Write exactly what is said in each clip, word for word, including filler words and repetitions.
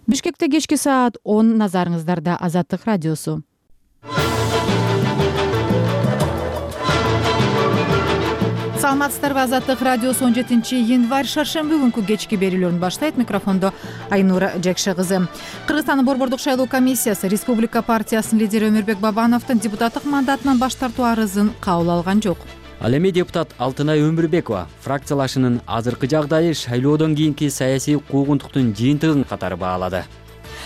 Бишкекте кечки саат он, назарыңыздарда Азаттык радиосу. Саламатсыздарбы, Азаттык радиосу он жетинчи январь шаршемби күнкү кечки берүүлөрүн баштайт. Микрофондо Айнура Жекше кызы. Кыргызстандын Борбордук шайлоо комиссиясы Республика партиясынын лидери Өмүрбек Бабановдун депутаттык мандатынан баш тартуу арызын кабыл алган жок. Ал эми депутат Алтынай Өмүрбекова фракциялашынын азыркы жагдайы шайлоодон кийинки саясий куугунтуктун жыйынтыгын катары баалады.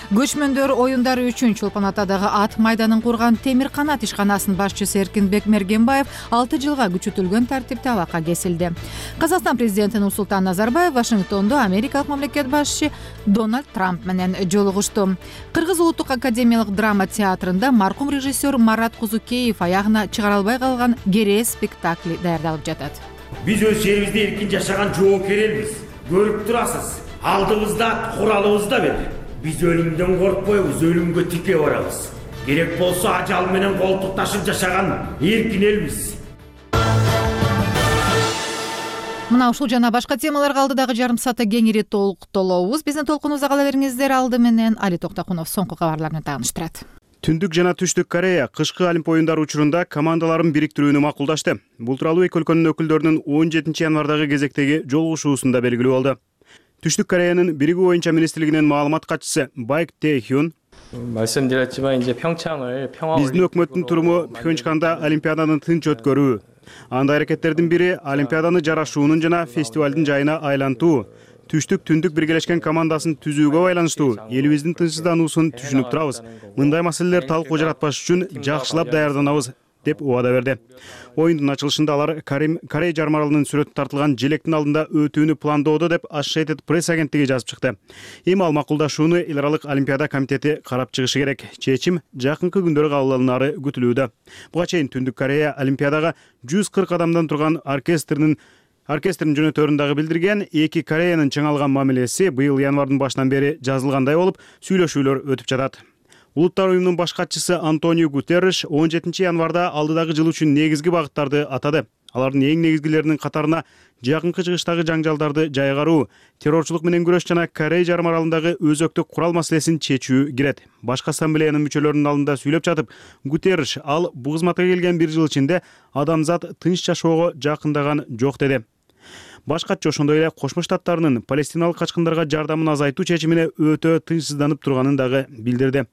Көчмөндөр оюндары үчүн Чолпон Атадагы ат майданын курган Темир канат ишканасынын башчысы Эркинбек Мергенбаев алты жылга күчөтүлгөн тартипте абакка кесилди. Казакстан президенти Нурсултан Назарбаев Вашингтондо америкалык мамлекет башчысы Дональд Трамп менен жолугушту. Кыргыз улуттук академиялык драма театрында маркум режиссер Марат Кузукеев аягына чыгара албай калган Керээ спектакли даярдалып жатат. Биз өз жерибизде эркин жашаган жоокер элбиз. Көрүп турасыз, алдыбызда куралыбыз да бер. Биз өлүмдөн коркпойбуз, өлүмгө тике барабыз. Керек болсо ажал менен колтук ташып жашаган эркин элбиз. Мына ушул жана башка темаларга алдыдагы жарым саатта кеңири толуктолобуз. Биздин толкунубузда кала бериңиздер. Алды менен Али Токтокунов соңку кабарлар менен тааныштырат. Түндүк жана Түштүк Корея кышкы Олимп оюндары учурунда командаларын бириктирүүнү макулдашты. Бул тууралуу эки өлкөнүн өкүлдөрүнүн он жетинчи январдагы кезектеги жолугушуусунда белгилүү болду. Түштүк Кореянын биригүү оюнча министрлигинин маалымат катчысы Байк Тэхюн биздин өкмөттүн туруму Пхенчханда Олимпиаданы тынч өткөрүү. Анда аракеттердин бири Олимпиаданы жарашуунун жана фестивалдын жайына айлантуу. Түштүк түндүк биргелешкен командасын түзүүгө байланыштуу элибиздин тынчсыздануусун түшүнүп турабыз. Мындай маселелер талкуу жаратпаш үчүн жакшылап даярданабыз деп убада берди. Оюндун ачылышында алар Корей жарым аралынын сүрөтү тартылган желектин алдында өтүүнү пландоодо деп Associated Press агенттиги жазып чыкты. Эми ал макулдашууну Эл аралык Олимпиада комитети карап чыгышы керек. Чечим жакынкы күндөрү кабыл алынары күтүлүүдө. Буга чейин Түндүк Корея Олимпиадага жүз кырк адамдан турган оркестрдин Оркестрдин жөнөтөрүндөгү билдирген, эки Кореянын чың алган мамилеси быйыл январдын башынан бери жазылгандай болуп, сүйлөшүүлөр өтүп жатат. Улуттар уюмунун баш катчысы Антонио Гутерриш он жетинчи январда алдыдагы жыл үчүн негизги багыттарды атады. Алардын эң негизгилеринин катарына жакынкы чыгыштагы жаңжалдарды жайгаруу, террорчулук менен күрөш жана Корей жарым аралындагы өзөктүк курал маселесин чечүү кирет. Башкы ассамблеянын мүчөлөрүнүн алдында сүйлөп жатып, Гутерриш ал бул кызматка келген бир жыл ичинде адамзат тынч жашоого жакындаган жок деди. Баш катчы ошондой эле Кошмо Штаттарынын палестиналык качкындарга жардамын азайтуу чечимине өтө тынчсызданып турганын дагы билдирди.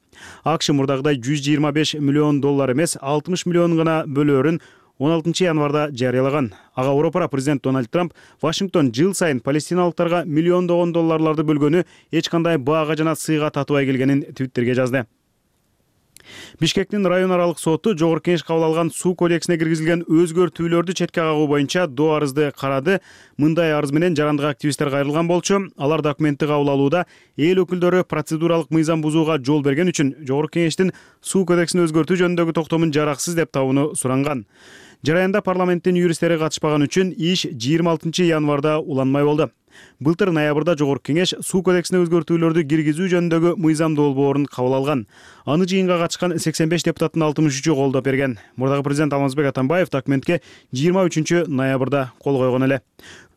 АКШ мурдагыдай жүз жыйырма беш миллион доллар эмес, алтымыш миллион гана бөлөөрүн он алтынчы январда жарыялаган. Ага Европа президент Дональд Трамп Вашингтон жыл сайын палестиналыктарга миллиондогон долларларды бөлгөнү эч кандай баага жана сыйга татыбай келгенин Твиттерге жазды. Бишкектин район аралык соту жогорку кеңеш кабыл алган суу кодексине киргизилген өзгөртүүлөрдү четке кагуу боюнча доо арызды карады. Мындай арыз менен жарандык активисттер кайрылган болчу. Алар документти кабыл алууда эл өкүлдөрү процедуралык мыйзам бузууга жол берген үчүн жогорку кеңештин суу кодексин өзгөртүү жөнүндөгү токтомун жараксыз деп табууну суранган. Жараянда парламенттин юристтери катышпаган үчүн иш жыйырма алтынчы январда уланмай болду. Былтыр ноябрда жогорку кеңеш суу кодексине өзгөртүүлөрдү киргизүү жөнүндөгү мыйзам долбоорун кабыл алган. Аны жыйынга катышкан сексен беш депутаттын алтымыш үчү колдоп берген. Мурдагы президент Алмазбек Атамбаев документке жыйырма үчүнчү ноябрда кол койгон эле.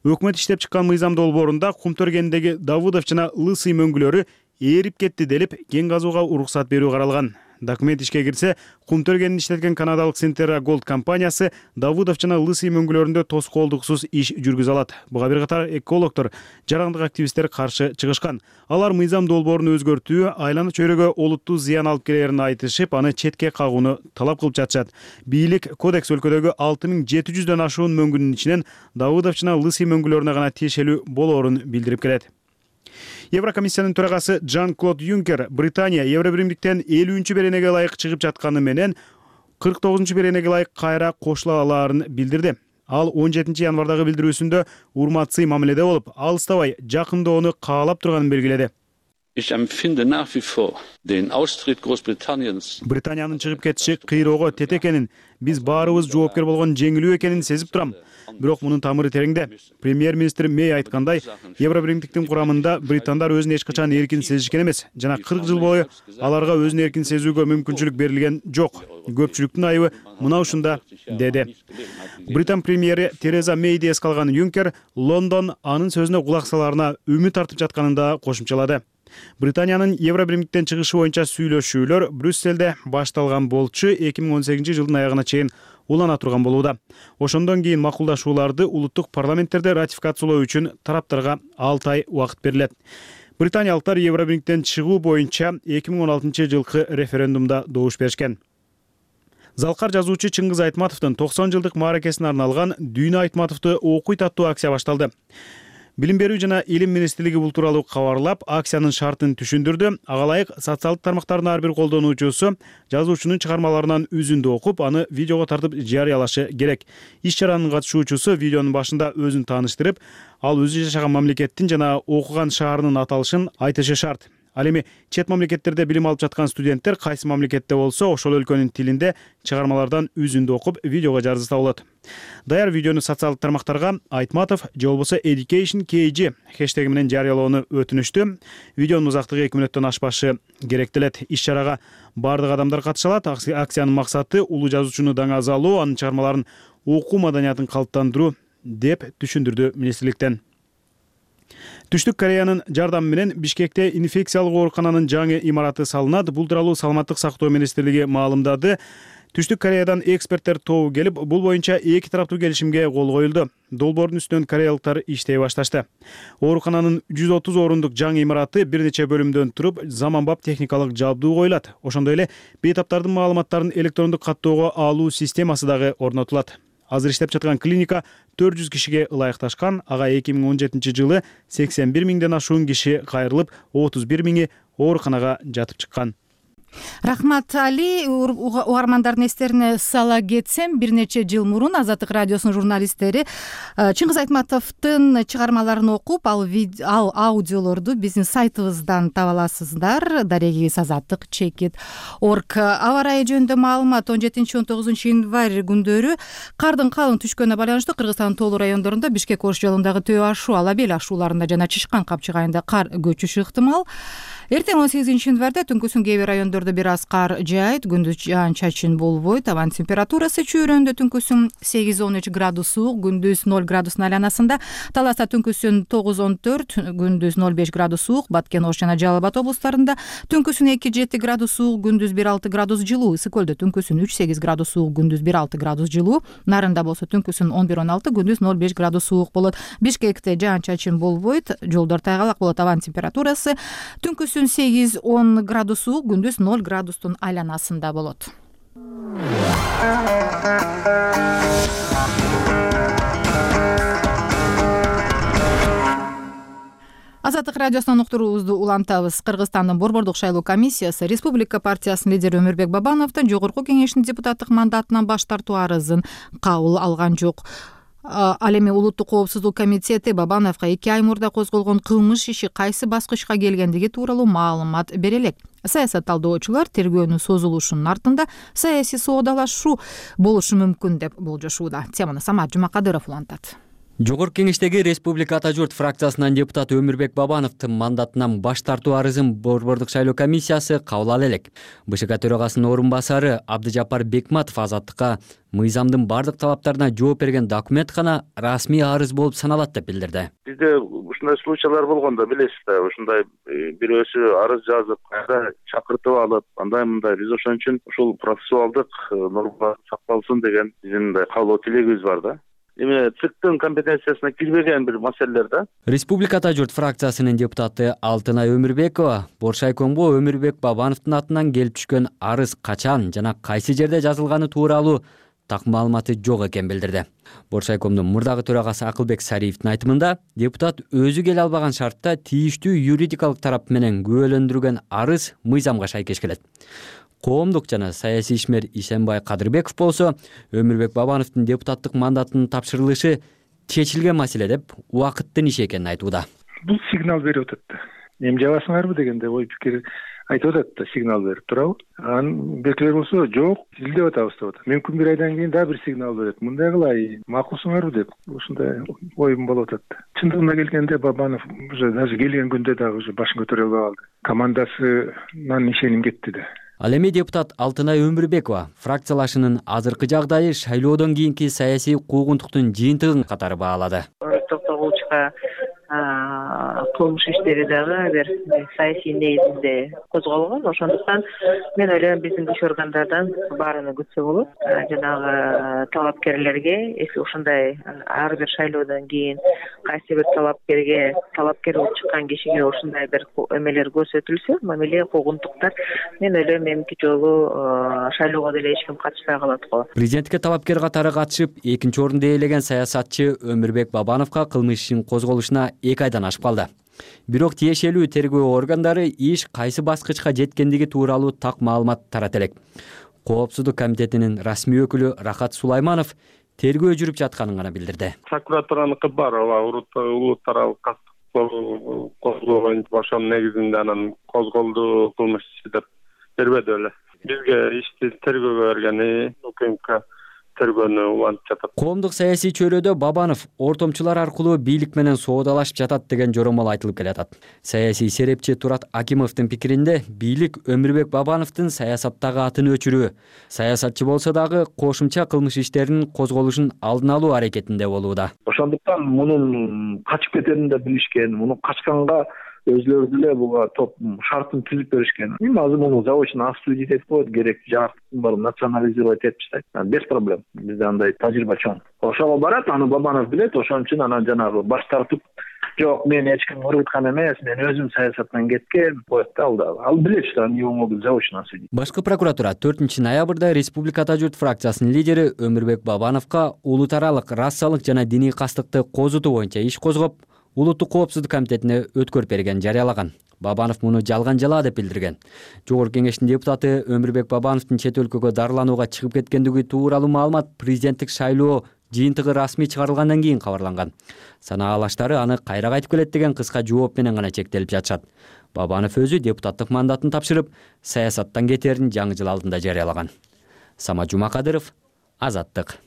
Өкмөт иштеп чыккан мыйзам долбоорунда Кумтөргендеги Давудов жана Лысый мөңгүлөрү ээрип кетти делип, кен казууга уруксат берүү каралган. Документ ишке кирсе, Кумтөргенин иштеткен канадалык Синтера Голд компаниясы Давудов жана Лысый мөңгүлөрүндө тоскоолдуксуз иш жүргүзө алат. Буга бир катар экологдор, жарандык активисттер каршы чыгышкан. Алар мыйзам долбоорун өзгөртүү айлана чөйрөгө олуттуу зыян алып келерин айтышып, аны четке кагууну талап кылып жатышат. Бийлик кодекс өлкөдөгү алты миң жети жүздөн ашуун мөңгүнүн ичинен Давудов жана Лысый мөңгүлөрүнө гана тиешелүү болоорун билдирип келет. Еврокомиссиянын төрагасы Жан-Клод Юнкер Британия Евробиримдиктен элүүнчү беренеге ылайык чыгып жатканы менен кырк тогузунчу беренеге ылайык кайра кошула алаарын билдирди. Ал он жетинчи январдагы билдирүүсүндө урматсый мамиледе болуп, алыстабай жакындоону каалап турганын белгиледи. Британиянын чыгып кетиши кыйроого тете экенин, биз баарыбыз жоопкер болгон жеңилүү экенин сезип турам. Бирок мунун тамыры тереңде. Премьер-министр Мэй айткандай, Евробиримдиктин курамында британдар өзүн эч качан эркин сезишкен эмес жана кырк жыл бою аларга өзүн эркин сезүүгө мүмкүнчүлүк берилген жок. Көпчүлүктүн айыбы мына ушунда, деди. Британ премьери Тереза Мэйди эске алган Юнкер Лондон анын сөзүнө кулак салаарына үмүт артып жатканын да кошумчалады. Британиянын Евробиримдиктен чыгышы боюнча сүйлөшүүлөр Брюссельде башталган болчу эки миң он сегизинчи жылдын аягына чейин улана турган болууда. Ошондон кийин макулдашууларды улуттук парламенттерде ратификациялоо үчүн тараптарга алты ай убакыт берилет. Британиялыктар Евробиримдиктен чыгуу боюнча эки миң он алтынчы жылкы референдумда добуш беришкен. Залкар жазуучу Чыңгыз Айтматовдун токсон жылдык мааракесине арналган Дүйнө Айтматовду окуйт аттуу акция башталды. Билим берүү жана илим министрлиги бул тууралуу кабарлап, акциянын шартын түшүндүрдү. Ага ылайык социалдык тармактардын ар бир колдонуучусу жазуучунун чыгармаларынан үзүндү окуп, аны видеого тартып жарыялашы керек. Иш-чаранын катышуучусу видеонун башында өзүн тааныштырып, ал өзү жашаган мамлекеттин жана окуган шаарынын аталышын айтышы шарт. Ал эми чет мамлекеттерде билим алып жаткан студенттер кайсы мамлекетте болсо, ошол өлкөнүн тилинде чыгармалардан үзүндү окуп, видеого жарызса болот. Даяр видеону социалдык тармактарга Айтматов же болбосо Education кей джи хэштеги менен жарыялоону өтүнүштү. Видеонун узактыгы эки мүнөттөн ашпашы керектелет. Иш-чарага бардык адамдар катыша алат. Акциянын максаты улуу жазуучуну даңазалоо, анын чыгармаларын окуу маданиятын калыптандыруу деп түшүндүрдү министрликтен. Түштүк Кореянын жардамы менен Бишкекте инфекциялык оорукананын жаңы имараты салынат. Бул тууралуу Саламаттык сактоо министрлиги маалымдады. Түштүк Кореядан эксперттер тобу келип, бул боюнча эки тараптуу келишимге кол коюлду. Долбоордун үстүнөн кореялыктар иштей башташты. Оорукананын жүз отуз орундук жаңы имараты бир нече бөлүмдөн туруп, заманбап техникалык жабдуу коюлат. Ошондой эле бейтаптардын маалыматтарын электрондук каттоого алуу системасы дагы орнотулат. Азыр иштеп жаткан клиника төрт жүз кишиге ылайыкташкан. Ага эки миң он жетинчи жылы сексен бир миңден ашуун киши кайрылып, отуз бир миңи ооруканага жатып чыккан. Рахмат Али. Угармандардын эстерине сала кетсем, бир нече жыл мурун Азаттык радиосунун журналисттери Чыңгыз Айтматовдун чыгармаларын окуп, ал, ал аудиолорду биздин сайтыбыздан таба аласыздар. Дарегибиз азаттык чекит точка орг. Аба ырайы жөнүндө маалымат он жетинчи он тогузунчу январь күндөрү кардын калың түшкөнүнө байланыштуу Кыргызстандын тоолуу райондорунда Бишкек Ош жолундагы Төө ашуу, Алабел ашууларында жана Чышкан Капчык айында кар көчүшү ыктымал. Эртең он сегизинчи январда түнкүсүн кээ бир райондордо бир аз кар жаайт, күндүз жаан-чачын болбойт. Абанын температурасы чөйрөндө түнкүсүн сегиз он үч градус суук, күндүз ноль градустун айланасында. Таласта түнкүсүн тогуз он төрт, күндүз ноль беш градус суук. Баткен, Ош жана Жалал Абад облустарында түнкүсүн эки жети градус суук, күндүз бир алты градус жылуу. Ысык көлдө түнкүсүн үч сегиз градус суук, күндүз бир алты градус жылуу. Нарында болсо түнкүсүн он бир он алты, күндүз ноль беш градус суук болот. Бишкекте жаан-чачын болбойт, жолдор тайгалак болот. Абанын температурасы түнкүсүн сегиз он градус суук, күндүз ноль градустун айланасында болот. Азаттык радиосунан уктуруубузду улантабыз. Кыргызстандын Борбордук шайлоо комиссиясы Республика партиясынын лидери Өмүрбек Бабановдун жогорку кеңештин депутаттык мандатынан баш тартуу арызын кабыл алган жок. Ал эми Улуттук коопсуздук комитети Бабановго эки ай мурда козголгон кылмыш иши кайсы баскычка келгендиги тууралуу маалымат бере элек. Саясат талдоочулар тергөөнүн созулушунун артында саясий соодалашуу болушу мүмкүн деп болжошууда. Теманы Самат Жумакадыров улантат. Жогорку кеңештеги Республика Ата журт фракциясынын депутаты Өмүрбек Бабановдун мандатынан баш тартуу арызын Борбордук шайлоо комиссиясы кабыл ала элек. БШК төрагасынын орун басары Абдыжапар Бекматов Азаттыкка мыйзамдын бардык талаптарына жооп берген документ гана расмий арыз болуп саналат деп билдирди. Бизде ушундай случайлар болгондо билесиз да, ушундай бирөөсү арыз жазып, кайра чакыртып алып, андай мындай биз ошон үчүн ушул процессуалдык норма сакталсын деген биздин мындай каалоо тилегибиз бар да. Эми ЦИКтин компетенциясына кирбеген бир маселелер да. Республика Ата журт фракциясынын депутаты Алтынай Өмүрбекова Боршайкомго Өмүрбек Бабановдун атынан келип түшкөн арыз качан жана кайсы жерде жазылганы тууралуу так маалыматы жок экенин билдирди. Боршайкомдун мурдагы төрагасы Акылбек Сариевдин айтымында, депутат өзү келе албаган шартта тийиштүү юридикалык тарап менен күбөлөндүргөн арыз мыйзамга шайкеш келет. Коомдук жана саясий ишмер Ишенбай Кадырбеков болсо Өмүрбек Бабановдун депутаттык мандатынын тапшырылышы чечилген маселе деп убакыттын иши экенин айтууда. Бул сигнал берип атат да. Эми жабасыңарбы дегенде ой пикир айтып атат да, сигнал берип турабы? Анын бекилер болсо жок, изилдеп атабыз деп атат. Мүмкүн бир айдан кийин дагы бир сигнал берет. Мындай кылай, макулсуңарбы деп ушундай оюм болуп атат. Чындыгына келгенде Бабанов уже даже келген күндө дагы уже башын көтөрө албай калды. Командасынан ишеним кетти да. Ал эми депутат Алтынай Өмүрбекова фракциялашынын азыркы жагдайы шайлоодон кийинки саясий куугунтуктун жыйынтыгын катары баалады. Токтогулчуга кылмыш иштери дагы бир саясий негизинде козголгон. Ошондуктан мен ойлойм биздин күч органдардан баарыны күтсө болот. Жанагы талапкерлерге эки ушундай ар бир шайлоодон кийин кайсы бир талапкерге талапкер болуп чыккан кишиге ушундай бир эмелер көрсөтүлсө, мамиле куугунтуктар, мен ойлойм эмки жолу шайлоого деле эч ким катышпай калат го. Президенттикке талапкер катары катышып, экинчи орунду ээлеген саясатчы Өмүрбек Бабановго кылмыш ишин козголушуна эки айдан ашып калды. Бирок тиешелүү тергөө органдары иш кайсы баскычка жеткендиги тууралуу так маалымат тарата элек. Коопсуздук комитетинин расмий өкүлү Рахат Сулайманов тергөө жүрүп жатканын гана билдирди. Прокуратураныкы бар, улут таралык козгоо боюнча ошонун негизинде анан козголду кылмыш иши деп бербеди эле. Бизге ишти тергөөгө бергени УКМК тергөөнү улантып жатат. Коомдук саясий чөйрөдө Бабанов ортомчулар аркылуу бийлик менен соодалашып жатат деген жоромол айтылып келатат. Саясий серепчи Турат Акимовдун пикиринде бийлик Өмүрбек Бабановдун саясаттагы атын өчүрүү, саясатчы болсо дагы кошумча кылмыш иштеринин козголушун алдын алуу аракетинде болууда. Ошондуктан мунун качып кетерин да билишкен, муну качканга өзлөрү деле буга топ шартын түзүп беришкен. Эми азыр муну заочно осудить этип коет, керек жарыктын баарын национализировать этип таштайт. Без проблем. Бизде андай тажрыйба чоң. Ошого барат, аны Бабанов билет, ошон үчүн анан жанагы баш тартып, жок, мен эч ким ургуткан эмес, мен өзүм саясаттан кеткен, коет да ал да. Ал билет, что они его могут заочно осудить. Башкы прокуратура төртүнчү ноябрда Республикада журт фракциясынын лидери Өмүрбек Бабановго улут аралык расалык жана диний кастыкты козутуу боюнча иш козгоп, Улуттук коопсуздук комитетине өткөрүп берген жарыялаган. Бабанов муну жалган жала деп билдирген. Жогорку кеңештин депутаты Өмүрбек Бабановдун чет өлкөгө дарыланууга чыгып кеткендиги тууралуу маалымат президенттик шайлоо жыйынтыгы расмий чыгарылгандан кийин кабарланган. Санаалаштары аны кайра кайтып келет деген кыска жооп менен гана чектелип жатышат. Бабанов өзү депутаттык мандатын тапшырып, саясаттан кетерин жаңы жыл алдында жарыялаган. Сама Жумакадыров, Азаттык.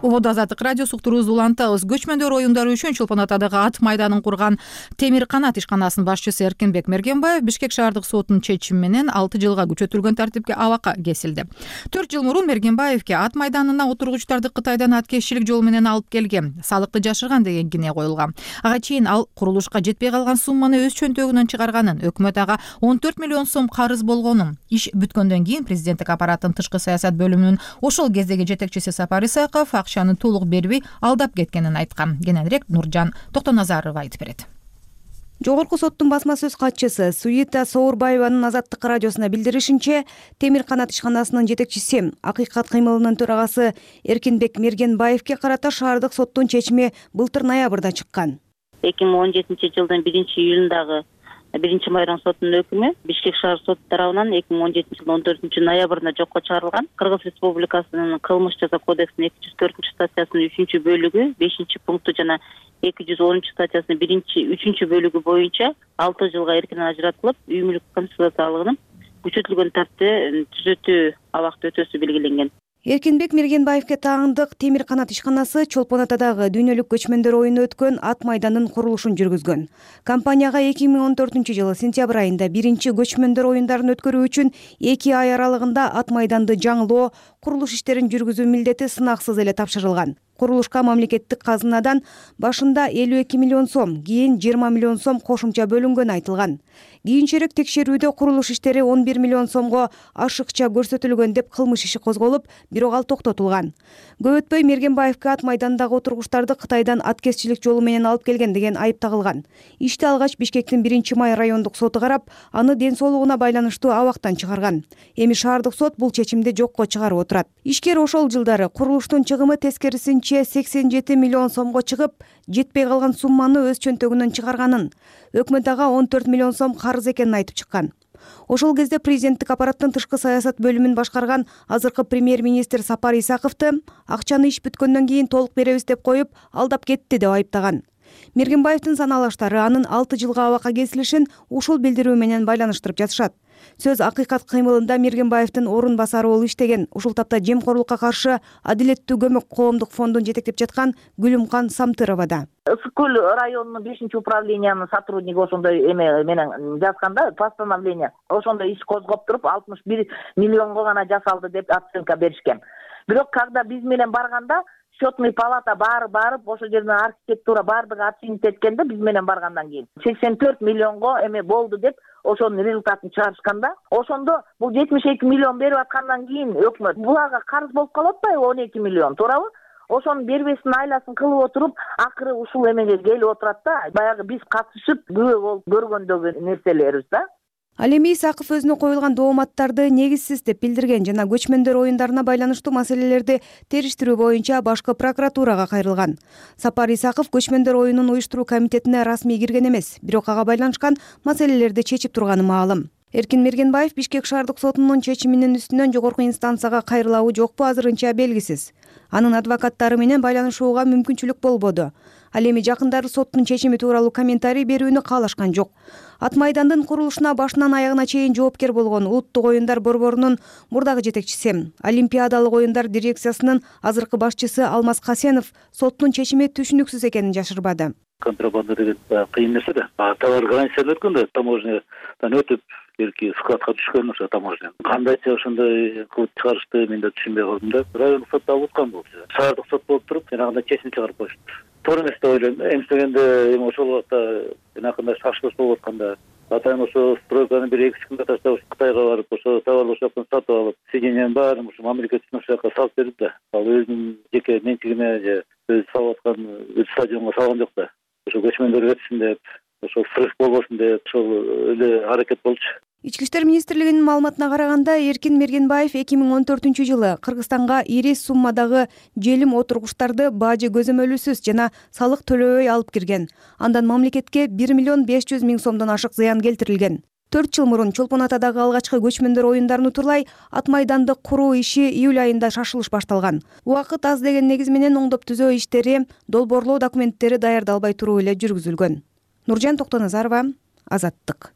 Убоду Азаттык радиосу уктуруубузду улантабыз. Көчмөндөр оюндары үчүн Чолпон Атадагы ат майданын курган Темир канат ишканасынын башчысы Эркинбек Мергенбаев Бишкек шаардык сотунун чечими менен алты жылга күчөтүлгөн тартипке абакка кесилди. төрт жыл мурун Мергенбаевке ат майданына отургучтарды Кытайдан аткезчилик жол менен алып келген, салыкты жашырган деген кине коюлган. Ага чейин ал курулушка жетпей калган сумманы өз чөнтөгүнөн чыгарганын, өкмөт ага он төрт миллион сом карыз болгонун, иш бүткөндөн кийин президенттик аппараттын тышкы саясат бөлүмүнүн ошол кездеги жетекчиси Сапар Исаков акчаны толук бербей алдап кеткенин айткан. Кененирээк Нуржан Токтоназарова айтып берет. Жогорку соттун басма сөз катчысы Суита Соорбаеванын Азаттык радиосуна билдиришинче, Темир канат ишканасынын жетекчиси, Акыйкат кыймылынын төрагасы Эркинбек Мергенбаевке карата шаардык соттун чечими былтыр ноябрда чыккан. эки миң он жетинчи жылдын биринчи июлундагы биринчи майрам сотунун өкүмү Бишкек шаар соту тарабынан эки миң он жетинчи жылдын он төртүнчү ноябрында жокко чыгарылган. Кыргыз Республикасынын кылмыш жаза кодексинин эки жүз төртүнчү статьясынын үчүнчү бөлүгү бешинчи пункту жана эки жүз онунчу статьясынын биринчи үчүнчү бөлүгү боюнча алты жылга эркинен ажыратылып, үй мүлк конфискациялыгынын күчөтүлгөн тартипте түзөтүү абакта өтөөсү белгиленген. Эркинбек Мергенбаевке таандык Темир канат ишканасы Чолпон Атадагы дүйнөлүк көчмөндөр оюну өткөн ат майданын курулушун жүргүзгөн. Компанияга эки миң он төртүнчү жылы сентябрь айында биринчи көчмөндөр оюндарын өткөрүү үчүн эки ай аралыгында ат майданды жаңылоо, курулуш иштерин жүргүзүү милдети сынаксыз эле тапшырылган. Курулушка мамлекеттик казынадан башында элүү эки миллион сом, кийин жыйырма миллион сом кошумча бөлүнгөнү айтылган. Кийинчерээк текшерүүдө курулуш иштери он бир миллион сомго ашыкча көрсөтүлгөн деп кылмыш иши козголуп, бирок ал токтотулган. Көп өтпөй Мергенбаевке ат майдандагы отургучтарды Кытайдан аткезчилик жолу менен алып келген деген айып тагылган. Ишти алгач Бишкектин биринчи май райондук соту карап, аны ден соолугуна байланыштуу абактан чыгарган. Эми шаардык сот бул чечимди жокко чыгарып отурат. Ишкер ошол жылдары курулуштун чыгымы тескерисинче сексен жети миллион сомго чыгып, жетпей калган сумманы өз чөнтөгүнөн чыгарганын, өкмөт ага он төрт миллион сом карыз экенин айтып чыккан. Ошол кезде президенттик аппараттын тышкы саясат бөлүмүн башкарган азыркы премьер-министр Сапар Исаковду акчаны иш бүткөндөн кийин толук беребиз деп коюп, алдап кетти деп айыптаган. Мергенбаевдин санаалаштары анын алты жылга абакка кесилишин ушул билдирүү менен байланыштырып жатышат. Сөз акыйкат кыймылында Мергенбаевдин орун басары болуп иштеген. Ушул тапта жемкорлукка каршы адилеттүү көмөк коомдук фондун жетектеп жаткан Гүлүмкан Самтыровада. Ысык көл районунун бешинчи управлениянын сотрудниги ошондой эме менен жазганда постановление ошондой иш козгоп туруп алтымыш бир миллионго гана жасалды деп оценка беришкен. Бирок когда биз менен барганда счетный палата баары барып ошол жерден архитектура баардыгы оценить эткенде биз менен баргандан кийин сексен төрт миллионго эме болду деп ошонун результатын чыгарышканда ошондо бул жетимиш эки миллион берип аткандан кийин өкмөт буларга карыз болуп калып атпайбы он эки миллион, туурабы? Ошонун бербестин айласын кылып отуруп акыры ушул эмеге келип отурат да, баягы биз катышып күбө болуп көргөндөгү нерселерибиз да. Ал эми Исаков өзүнө коюлган дооматтарды негизсиз деп билдирген жана көчмөндөр оюндарына байланыштуу маселелерди териштирүү боюнча башкы прокуратурага кайрылган. Сапар Исаков көчмөндөр оюнун уюштуруу комитетине расмий кирген эмес, бирок ага байланышкан маселелерди чечип турганы маалым. Эркин Мергенбаев Бишкек шаардык сотунун чечиминин үстүнөн жогорку инстанцияга кайрылабы жокпу азырынча белгисиз. Анын адвокаттары менен байланышууга мүмкүнчүлүк болбоду. Ал эми жакындары соттун чечими тууралуу комментарий берүүнү каалашкан жок. Ат майдандын курулушуна башынан аягына чейин жоопкер болгон Улуттук оюндар борборунун мурдагы жетекчиси, Олимпиадалык оюндар дирекциясынын азыркы башчысы Алмаз Касенов соттун чечими түшүнүксүз экенин жашырбады. Контрабанда деген кыйын нерсе да. Товар границадан өткөндө таможнядан өтүп берки складка түшкөн ошо таможня. Кандайча ошондой кылып чыгарышты мен да түшүнбөй калдым да. Райондук сотто алып аткан бул. Шаардык сот болуп туруп, жанагындай чечим чыгарып коюшту. Туура эмес деп ойлойм. Эместегенде эми ошол убакта жанакындай шашылыш болуп атканда атайын ошо стройканын бир эки күндө таштап Кытайга барып ошо товарлы ошол жактан сатып алып, сиденияны баарын ошо Америка үчүн ошол жака салып берди да. Ал өзүнүн жеке менчигине же өзү салып аткан стадионго салган жок да. Ошо көчмөндөр өтсүн деп, ошол срыв болбосун деп, ошол эле аракет болчу. Ички иштер министрлигинин маалыматына караганда, Эркин Мергенбаев эки миң он төртүнчү жылы Кыргызстанга ири суммадагы желим отургучтарды бажы көзөмөлүсүз жана салык төлөбөй алып кирген. Андан мамлекетке бир миллион беш жүз миң сомдон ашык зыян келтирилген. төрт жыл мурун Чолпон Атадагы алгачкы көчмөндөр оюндарын утурлай ат майданды куруу иши июль айында шашылыш башталган. Убакыт аз деген негиз менен оңдоп түзөө иштери, долбоорлоо документтери даярдалбай туруу эле жүргүзүлгөн. Нуржан Токтоназарова, Азаттык.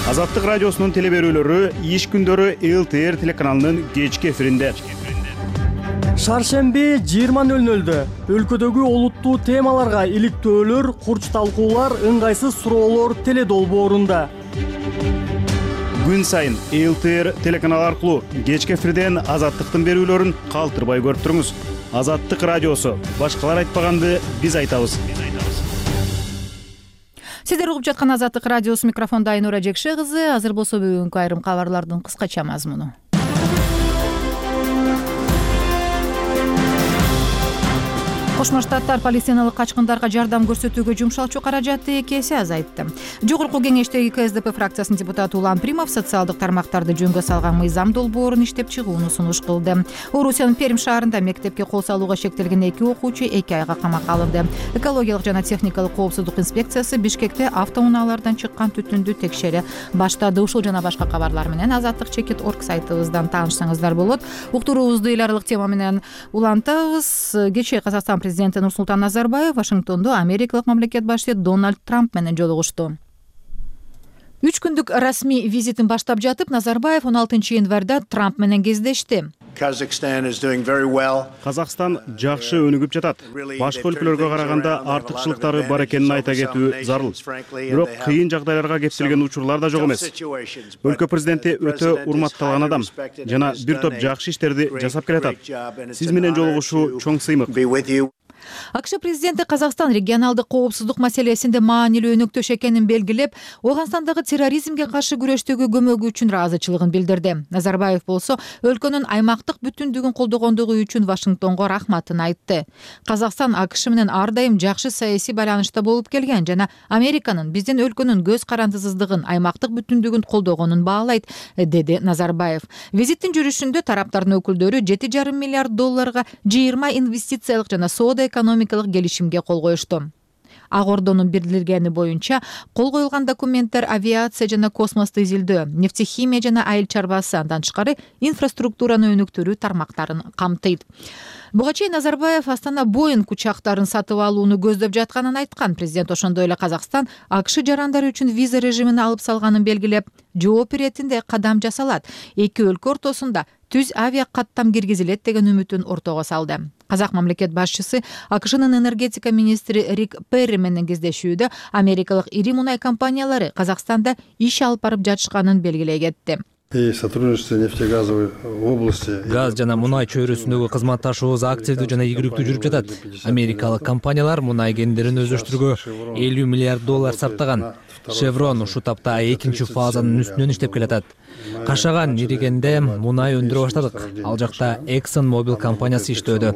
Азаттык радиосунун телеберүүлөрү иш күндөрү эл тэ эр телеканалынын кечки эфиринде. Шаршемби жыйырма нөл нөлдө өлкөдөгү олуттуу темаларга иликтөөлөр, курч талкуулар, ыңгайсыз суроолор теледолбоорунда. Күн сайын эл тэ эр телеканалы аркылуу кечки эфирден Азаттыктын берүүлөрүн калтырбай көрүп туруңуз. Азаттык радиосу. Башкалар айтпаганды биз айтабыз. Сиздер угуп жаткан Азаттык радиосу, микрофондо Айнура Жекше кызы. Азыр болсо бүгүнкү айрым кабарлардын кыскача мазмуну. Кошмо Штаттар палестиналык качкындарга жардам көрсөтүүгө жумшалчу каражатты эки эсе азайтты. Жогорку кеңештеги ка эс дэ пэ фракциясынын депутаты Улан Примов социалдык тармактарды жөнгө салган мыйзам долбоорун иштеп чыгууну сунуш кылды. Орусиянын Пермь шаарында мектепке кол салууга шектелген эки окуучу эки айга камакка алынды. Экологиялык жана техникалык коопсуздук инспекциясы Бишкекте автоунаалардан чыккан түтүндү текшере баштады. Ушул жана башка кабарлар менен азаттык чекит точка орг сайтыбыздан таанышсаңыздар болот. Уктуруубузду эл аралык тема менен улантабыз. Кечээ Казакстан президенти Нурсултан Назарбаев Вашингтондо америкалык мамлекет башчысы Дональд Трамп менен жолугушту. Үч күндүк расмий визитин баштап жатып, Назарбаев он алтынчы январда Трамп менен кездешти. Казакстан жакшы өнүгүп жатат. Башка өлкөлөргө караганда артыкчылыктары бар экенин айта кетүү зарыл. Бирок кыйын жагдайларга кептелген учурлар да жок эмес. Өлкө президенти өтө урматталган адам жана бир топ жакшы иштерди жасап келатат. Сиз менен жолугушуу чоң сыймык. АКШ президенти Казакстан регионалдык коопсуздук маселесинде маанилүү өнөктөш экенин белгилеп, Ооганстандагы терроризмге каршы күрөштөгү көмөгү үчүн ыраазычылыгын билдирди. Назарбаев болсо өлкөнүн аймактык бүтүндүгүн колдогондугу үчүн Вашингтонго рахматын айтты. Казакстан АКШ менен ар дайым жакшы саясий байланышта болуп келген жана Американын биздин өлкөнүн көз карандысыздыгын, аймактык бүтүндүгүн колдогонун баалайт, деди Назарбаев. Визиттин жүрүшүндө тараптардын өкүлдөрү жети жарым миллиард долларга жыйырма инвестициялык жана соода экономикалык келишимге кол коюшту. Ак Ордонун билдиргени боюнча, кол коюлган документтер авиация жана космосту изилдөө, нефтехимия жана айыл чарбасы, андан тышкары инфраструктураны өнүктүрүү тармактарын камтыйт. Буга чейин Назарбаев Астана Боинг учактарын сатып алууну көздөп жатканын айткан. Президент ошондой эле Казакстан АКШ жарандары үчүн виза режимин алып салганын белгилеп, жооп иретинде кадам жасалат. Эки өлкө ортосунда түз авиа каттам киргизилет деген үмүтүн ортого салды. Казак мамлекет башчысы АКШнын энергетика министри Рик Перри менен кездешүүдө америкалык ири мунай компаниялары Казакстанда иш алып барып жатышканын белгилей кетти. И сотрудничество нефтегазовой области. Газ жана мунай чөйрөсүндөгү кызматташуубуз активдүү жана ийгиликтүү жүрүп жатат. Америкалык компаниялар мунай кендерин өздөштүрүүгө элүү миллиард доллар сарптаган. Шеврон ушул тапта экинчи фазанын үстүнөн иштеп келатат. Кашаган Иригенде мунай өндүрө баштадык. Ал жакта Exxon Mobil компаниясы иштөөдө.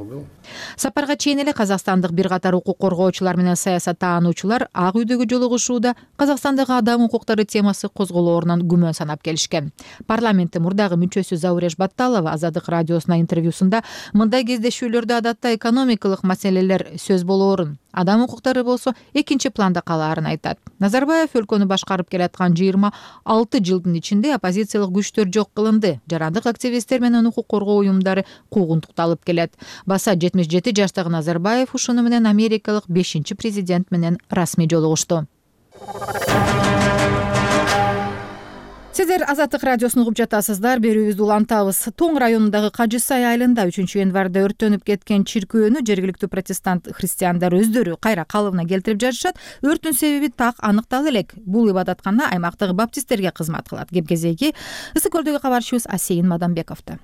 Сапарга чейин эле казакстандык бир катар укук коргоочулар менен саясаттаануучулар Ак үйдөгү жолугушууда Казакстандагы адам укуктары темасы козголоорунан күмөн санап келишкен. Парламенттин мурдагы мүчөсү Зауреш Батталова Азаттык радиосуна интервьюсунда мындай кездешүүлөрдө адатта экономикалык маселелер сөз болоорун, адам укуктары болсо экинчи планда калаарын айтат. Назарбаев өлкөнү башкарып келаткан жыйырма алты жылдын ичинде оппозициялык күчтөр жок кылынды. Жарандык активисттер менен укук коргоо уюмдары куугунтукталып келет. Баса жетимиш жети жаштагы Назарбаев ушуну менен америкалык бешинчи президент менен расмий жолугушту. Сиздер Азаттык радиосун угуп жатасыздар. Берүүбүздү улантабыз. Тоң районундагы Кажы Сай айылында үчүнчү январда өрттөнүп кеткен чиркөөнү жергиликтүү протестант христиандар өздөрү кайра калыбына келтирип жатышат. Өрттүн себеби так аныктала элек. Бул ибадаткана аймактагы баптисттерге кызмат кылат. Кеп кезеги Ысык көлдөгү кабарчыбыз Асейин Мадамбековдо.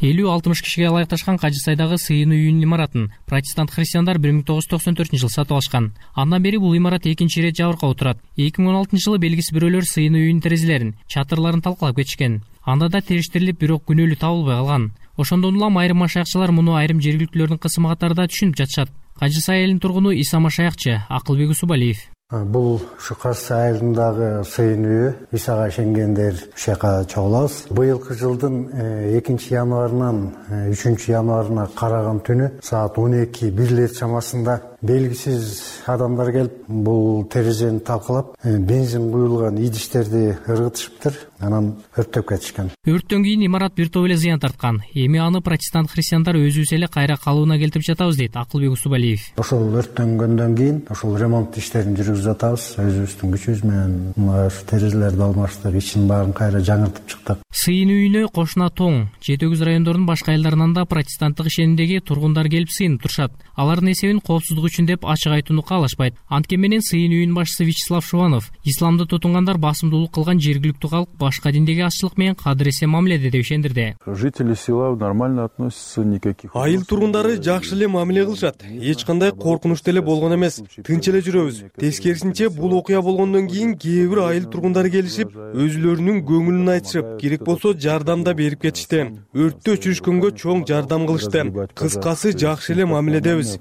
элүү алтымыш кишиге ылайыкташкан Кажы Сайдагы сыйынуу үйүнүн имаратын протестант христиандар бир миң тогуз жүз токсон төртүнчү жылы сатып алышкан. Андан бери бул имарат экинчи ирет жабыркап отурат. эки миң он алтынчы жылы белгисиз бирөөлөр сыйынуу үйүнүн терезелерин, чатырларын талкалап кетишкен. Анда да териштирилип, бирок күнөөлүү табылбай калган. Ошондон улам айрым машаякчылар муну айрым жергиликтүүлөрдүн кысымы катары да түшүнүп жатышат. Кажы Сай элинин тургуну Иса Машаякчы Акылбек Усубалиев. Бул ушу Кажы Сай айылындагы сыйын үйү. Исага ишенгендер ушул жака чогулабыз. Быйылкы жылдын экинчи январынан үчүнчү январына караган түнү саат он эки бирлер чамасында белгисиз адамдар келип бул терезени талкалап, бензин куюлган идиштерди ыргытышыптыр. Анан өрттөп кетишкен. Өрттөн кийин имарат бир топ эле зыян тарткан. Эми аны протестант христиандар өзүбүз эле кайра калыбына келтирип жатабыз дейт Акылбек Усубалиев. Ошол өрттөнгөндөн кийин ошол ремонт иштерин жүргүзүп жатабыз. Өзүбүздүн күчүбүз менен мына терезелерди алмаштырып, ичин баарын кайра жаңыртып чыктык. Сыйын үйүнө кошуна Тоң, жети өгүз райондордун башка айылдарынан да протестанттык ишенимдеги тургундар келип сыйынып турушат. Алардын эсебин коопсуздук үчүн деп ачык айтууну каалашпайт. Анткени менен сыйын үйүнүн башчысы Вячеслав Шуванов исламды тутунгандар басымдуулук кылган жергиликтүү калк башка диндеги азчылык менен кадыресе мамиледе деп ишендирди. Жители села нормально относятся, никаких. Айыл тургундары жакшы эле мамиле кылышат. Эч кандай коркунуч деле болгон эмес. Тынч эле жүрөбүз. Тескерисинче бул окуя болгондон кийин кээ бир айыл тургундары келишип, өзүлөрүнүн көңүлүн айтышып, керек болсо жардам да берип кетишти. Өрттү өчүрүшкөнгө чоң жардам кылышты. Кыскасы жакшы эле мамиледебиз.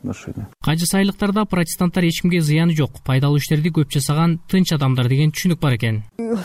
Кажы Сайлыктарда протестанттар эч кимге зыяны жок, пайдалуу иштерди көп жасаган тынч адамдар деген түшүнүк бар экен.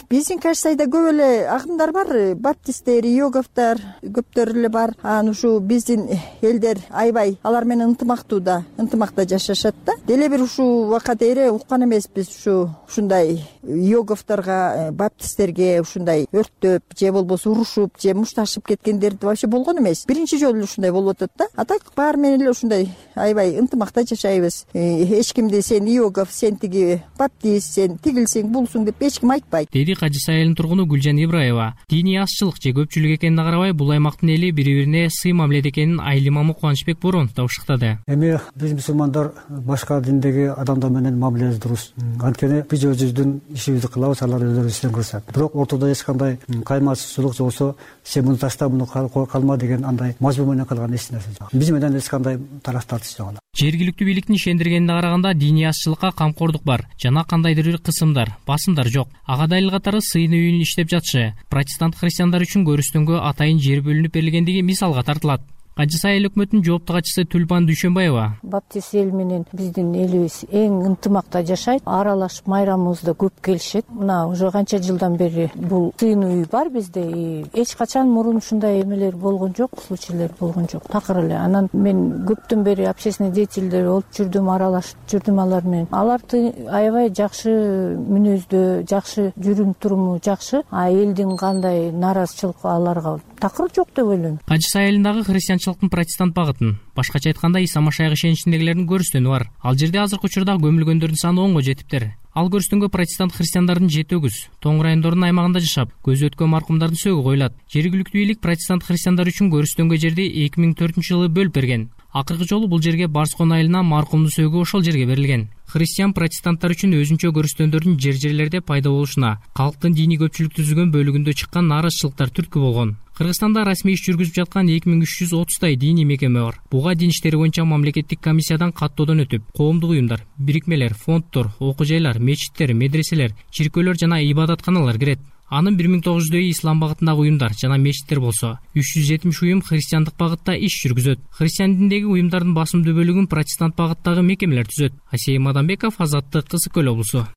Биздин Кажы Сайда көп эле агымдар бар, баптисттер, йоговтар көптөр эле бар. Анан ушу биздин элдер аябай алар менен ынтымактуу да, ынтымакта жашашат да. Деле бир ушул убакка дейре уккан эмеспиз ушу ушундай йоговторго, баптисттерге ушундай өрттөп же болбосо урушуп же мушташып кеткендерди вообще болгон эмес. Биринчи жолу ушундай болуп атат да. А так баары менен эле ушундай аябай ынтымакта жашайбыз. Эч кимди сен йогов, сен тиги баптист, сен тигилсиң, булсуң деп эч ким айтпайт. Деди Кажы Сай айылынын тургуну Гүлжан Ибраева. Диний азчылык же көпчүлүк экенине карабай, бул аймактын эли бири-бирине сый мамиледе экенин айыл имамы Кубанычбек Боронов да ушуктады. Эми биз мусулмандар башка диндеги адамдар менен мамилебиз дурус. Анткени биз өзүбүздүн ишибизди кылабыз, алар өздөрү иштен кылышат. Бирок ортодо эч кандай каймасыздык же болбосо сен муну ташта, муну калма деген андай мажбур менен кылган эч нерсе жок. Биз менен эч кандай тарап тартыш жок. Жергиликтүү бийликтин ишендиргенине караганда диний азчылыкка камкордук бар жана кандайдыр бир кысымдар, басымдар жок. Ага далил катары сыйын үйүнүн иштеп жатышы протестант христиандар үчүн көрүстөнгө атайын жер бөлүнүп берилгендиги мисалга тартылат. Кажы Сай эл өкмөтүнүн жоопту катчысы Түлпан Дүйшөнбаева. Баптист эл менен биздин элибиз эң ынтымакта жашайт. Аралашып майрамыбызда көп келишет. Мына уже канча жылдан бери бул сыйын үй бар бизде. Эч качан мурун ушундай эмелер болгон жок, случайлар болгон жок. Такыр эле. Анан мен көптөн бери общественный деятельдер болуп жүрдүм, аралашып жүрдүм алар менен. Аларды аябай жакшы мүнөздө, жакшы жүрүм туруму жакшы. А элдин кандай нааразычылык аларга такыр жок деп ойлойм. Кажысы айылындагы христианчылыктын протестант багытын, башкача айтканда Иса Машайык ишеничиндегилердин көрүстөнү бар. Ал жерде азыркы учурда көмүлгөндөрдүн саны онго жетиптир. Ал көрүстөнгө протестант христиандардын жети өгүз тоң райондордун аймагында жашап, көзү өткөн маркумдардын сөөгү коюлат. Жергиликтүү бийлик протестант христиандар үчүн көрүстөнгө жерди эки миң төртүнчү жылы бөлүп берген. Акыркы жолу бул жерге Барскон айылына маркумдун сөөгү ошол жерге берилген. Христиан протестанттар үчүн өзүнчө көрүстөндөрдүн жер-жерлерде пайда болушуна, калктын диний көпчүлүк түзүлгөн бөлүгүндө чыккан нааразычылыктар түрткү болгон. Кыргызстанда расмий иш жүргүзүп жаткан эки миң үч жүз отуздай диний мекеме бар. Буга дин иштери боюнча мамлекеттик комиссиядан каттоодон өтүп, коомдук уюмдар, бирикмелер, фонддор, окуу жайлар, мечиттер, медреселер, чиркөөлөр жана ибадатканалар кирет. Анын бир миң тогуз жүздөй ислам багытындагы уюмдар жана мечиттер болсо, үч жүз жетимиш уюм христиандык багытта иш жүргүзөт. Христиан диндеги уюмдардын басымдуу бөлүгүн протестант багыттагы мекемелер түзөт. Асей Мадамбеков, Азаттык, Кызыл Көл облусу.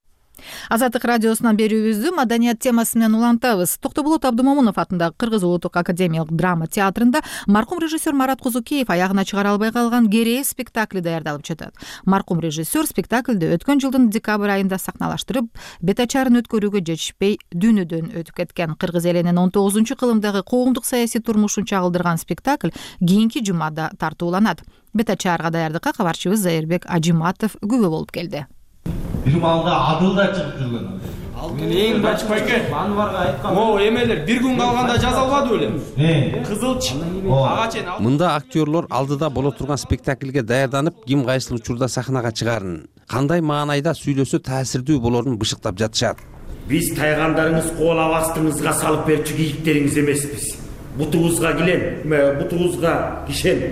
Азаттык радиосунан берүүбүздү маданият темасы менен улантабыз. Токтоболот Абдымомунов атындагы Кыргыз Улуттук академиялык драма театрында маркум режиссер Марат Козукеев аягына чыгара албай калган Керээ спектакли даярдалып жатат. Маркум режиссер спектакльди өткөн жылдын декабрь айында сахналаштырып, бет ачарын өткөрүүгө жетишпей дүйнөдөн өтүп кеткен. Кыргыз элинин он тогузунчу кылымдагы коомдук саясий турмушун чагылдырган спектакль кийинки жумада тартууланат. Бет ачарга даярдыкка кабарчыбыз Зайырбек Ажиматов күбө болуп келди. Бир малга адыл да чыгып жүргөн. Мен эң бач байке Анварга айткам. Могу эмелер бир күн калганда жаза албады беле? Кызылч ага чейин. Мында актерлор алдыда боло турган спектакльге даярданып, ким кайсыл учурда сахнага чыгарын, кандай маанайда сүйлөсө таасирдүү болорун бышыктап жатышат. Биз тайгандарыңыз коолап астыңызга салып берчү кийиктериңиз эмеспиз. Бутуңузга килен, бутуңузга кишен,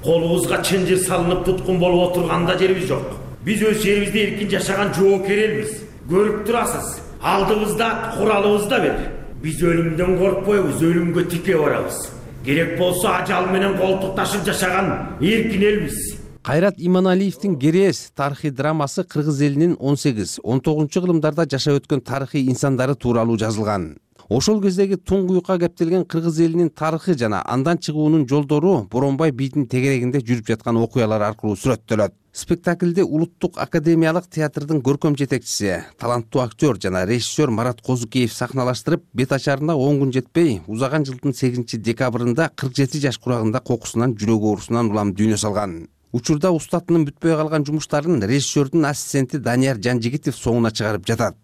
колуңузга чынжыр салынып туткун болуп отурганда жерибиз жок. Биз өз жерибизде эркин жашаган жоокер элбиз. Көрүп турасыз. Алдыбызда куралыбызда бир. Биз өлүмдөн коркпойбуз, өлүмгө тике барабыз. Керек болсо ажал менен колтукташып жашаган эркин элбиз. Кайрат Иманалиевдин Керээс тарыхый драмасы кыргыз элинин он сегиз он тогузунчу кылымдарда жашап өткөн тарыхый инсандары тууралуу жазылган. Ошол кездеги туңгуюкка кептелген кыргыз элинин тарыхы жана андан чыгуунун жолдору Боронбай бийдин тегерегинде жүрүп жаткан окуялар аркылуу сүрөттөлөт. Спектакльде Улуттук академиялык театрдын көркөм жетекчиси, таланттуу актер жана режиссер Марат Козукеев сахналаштырып, бет ачарына он күн жетпей, узаган жылдын сегизинчи декабрында кырк жети жаш курагында кокусунан жүрөк оорусунан улам дүйнө салган. Учурда устатынын бүтпөй калган жумуштарын режиссердин ассистенти Данияр Жанжигитов соңуна чыгарып жатат.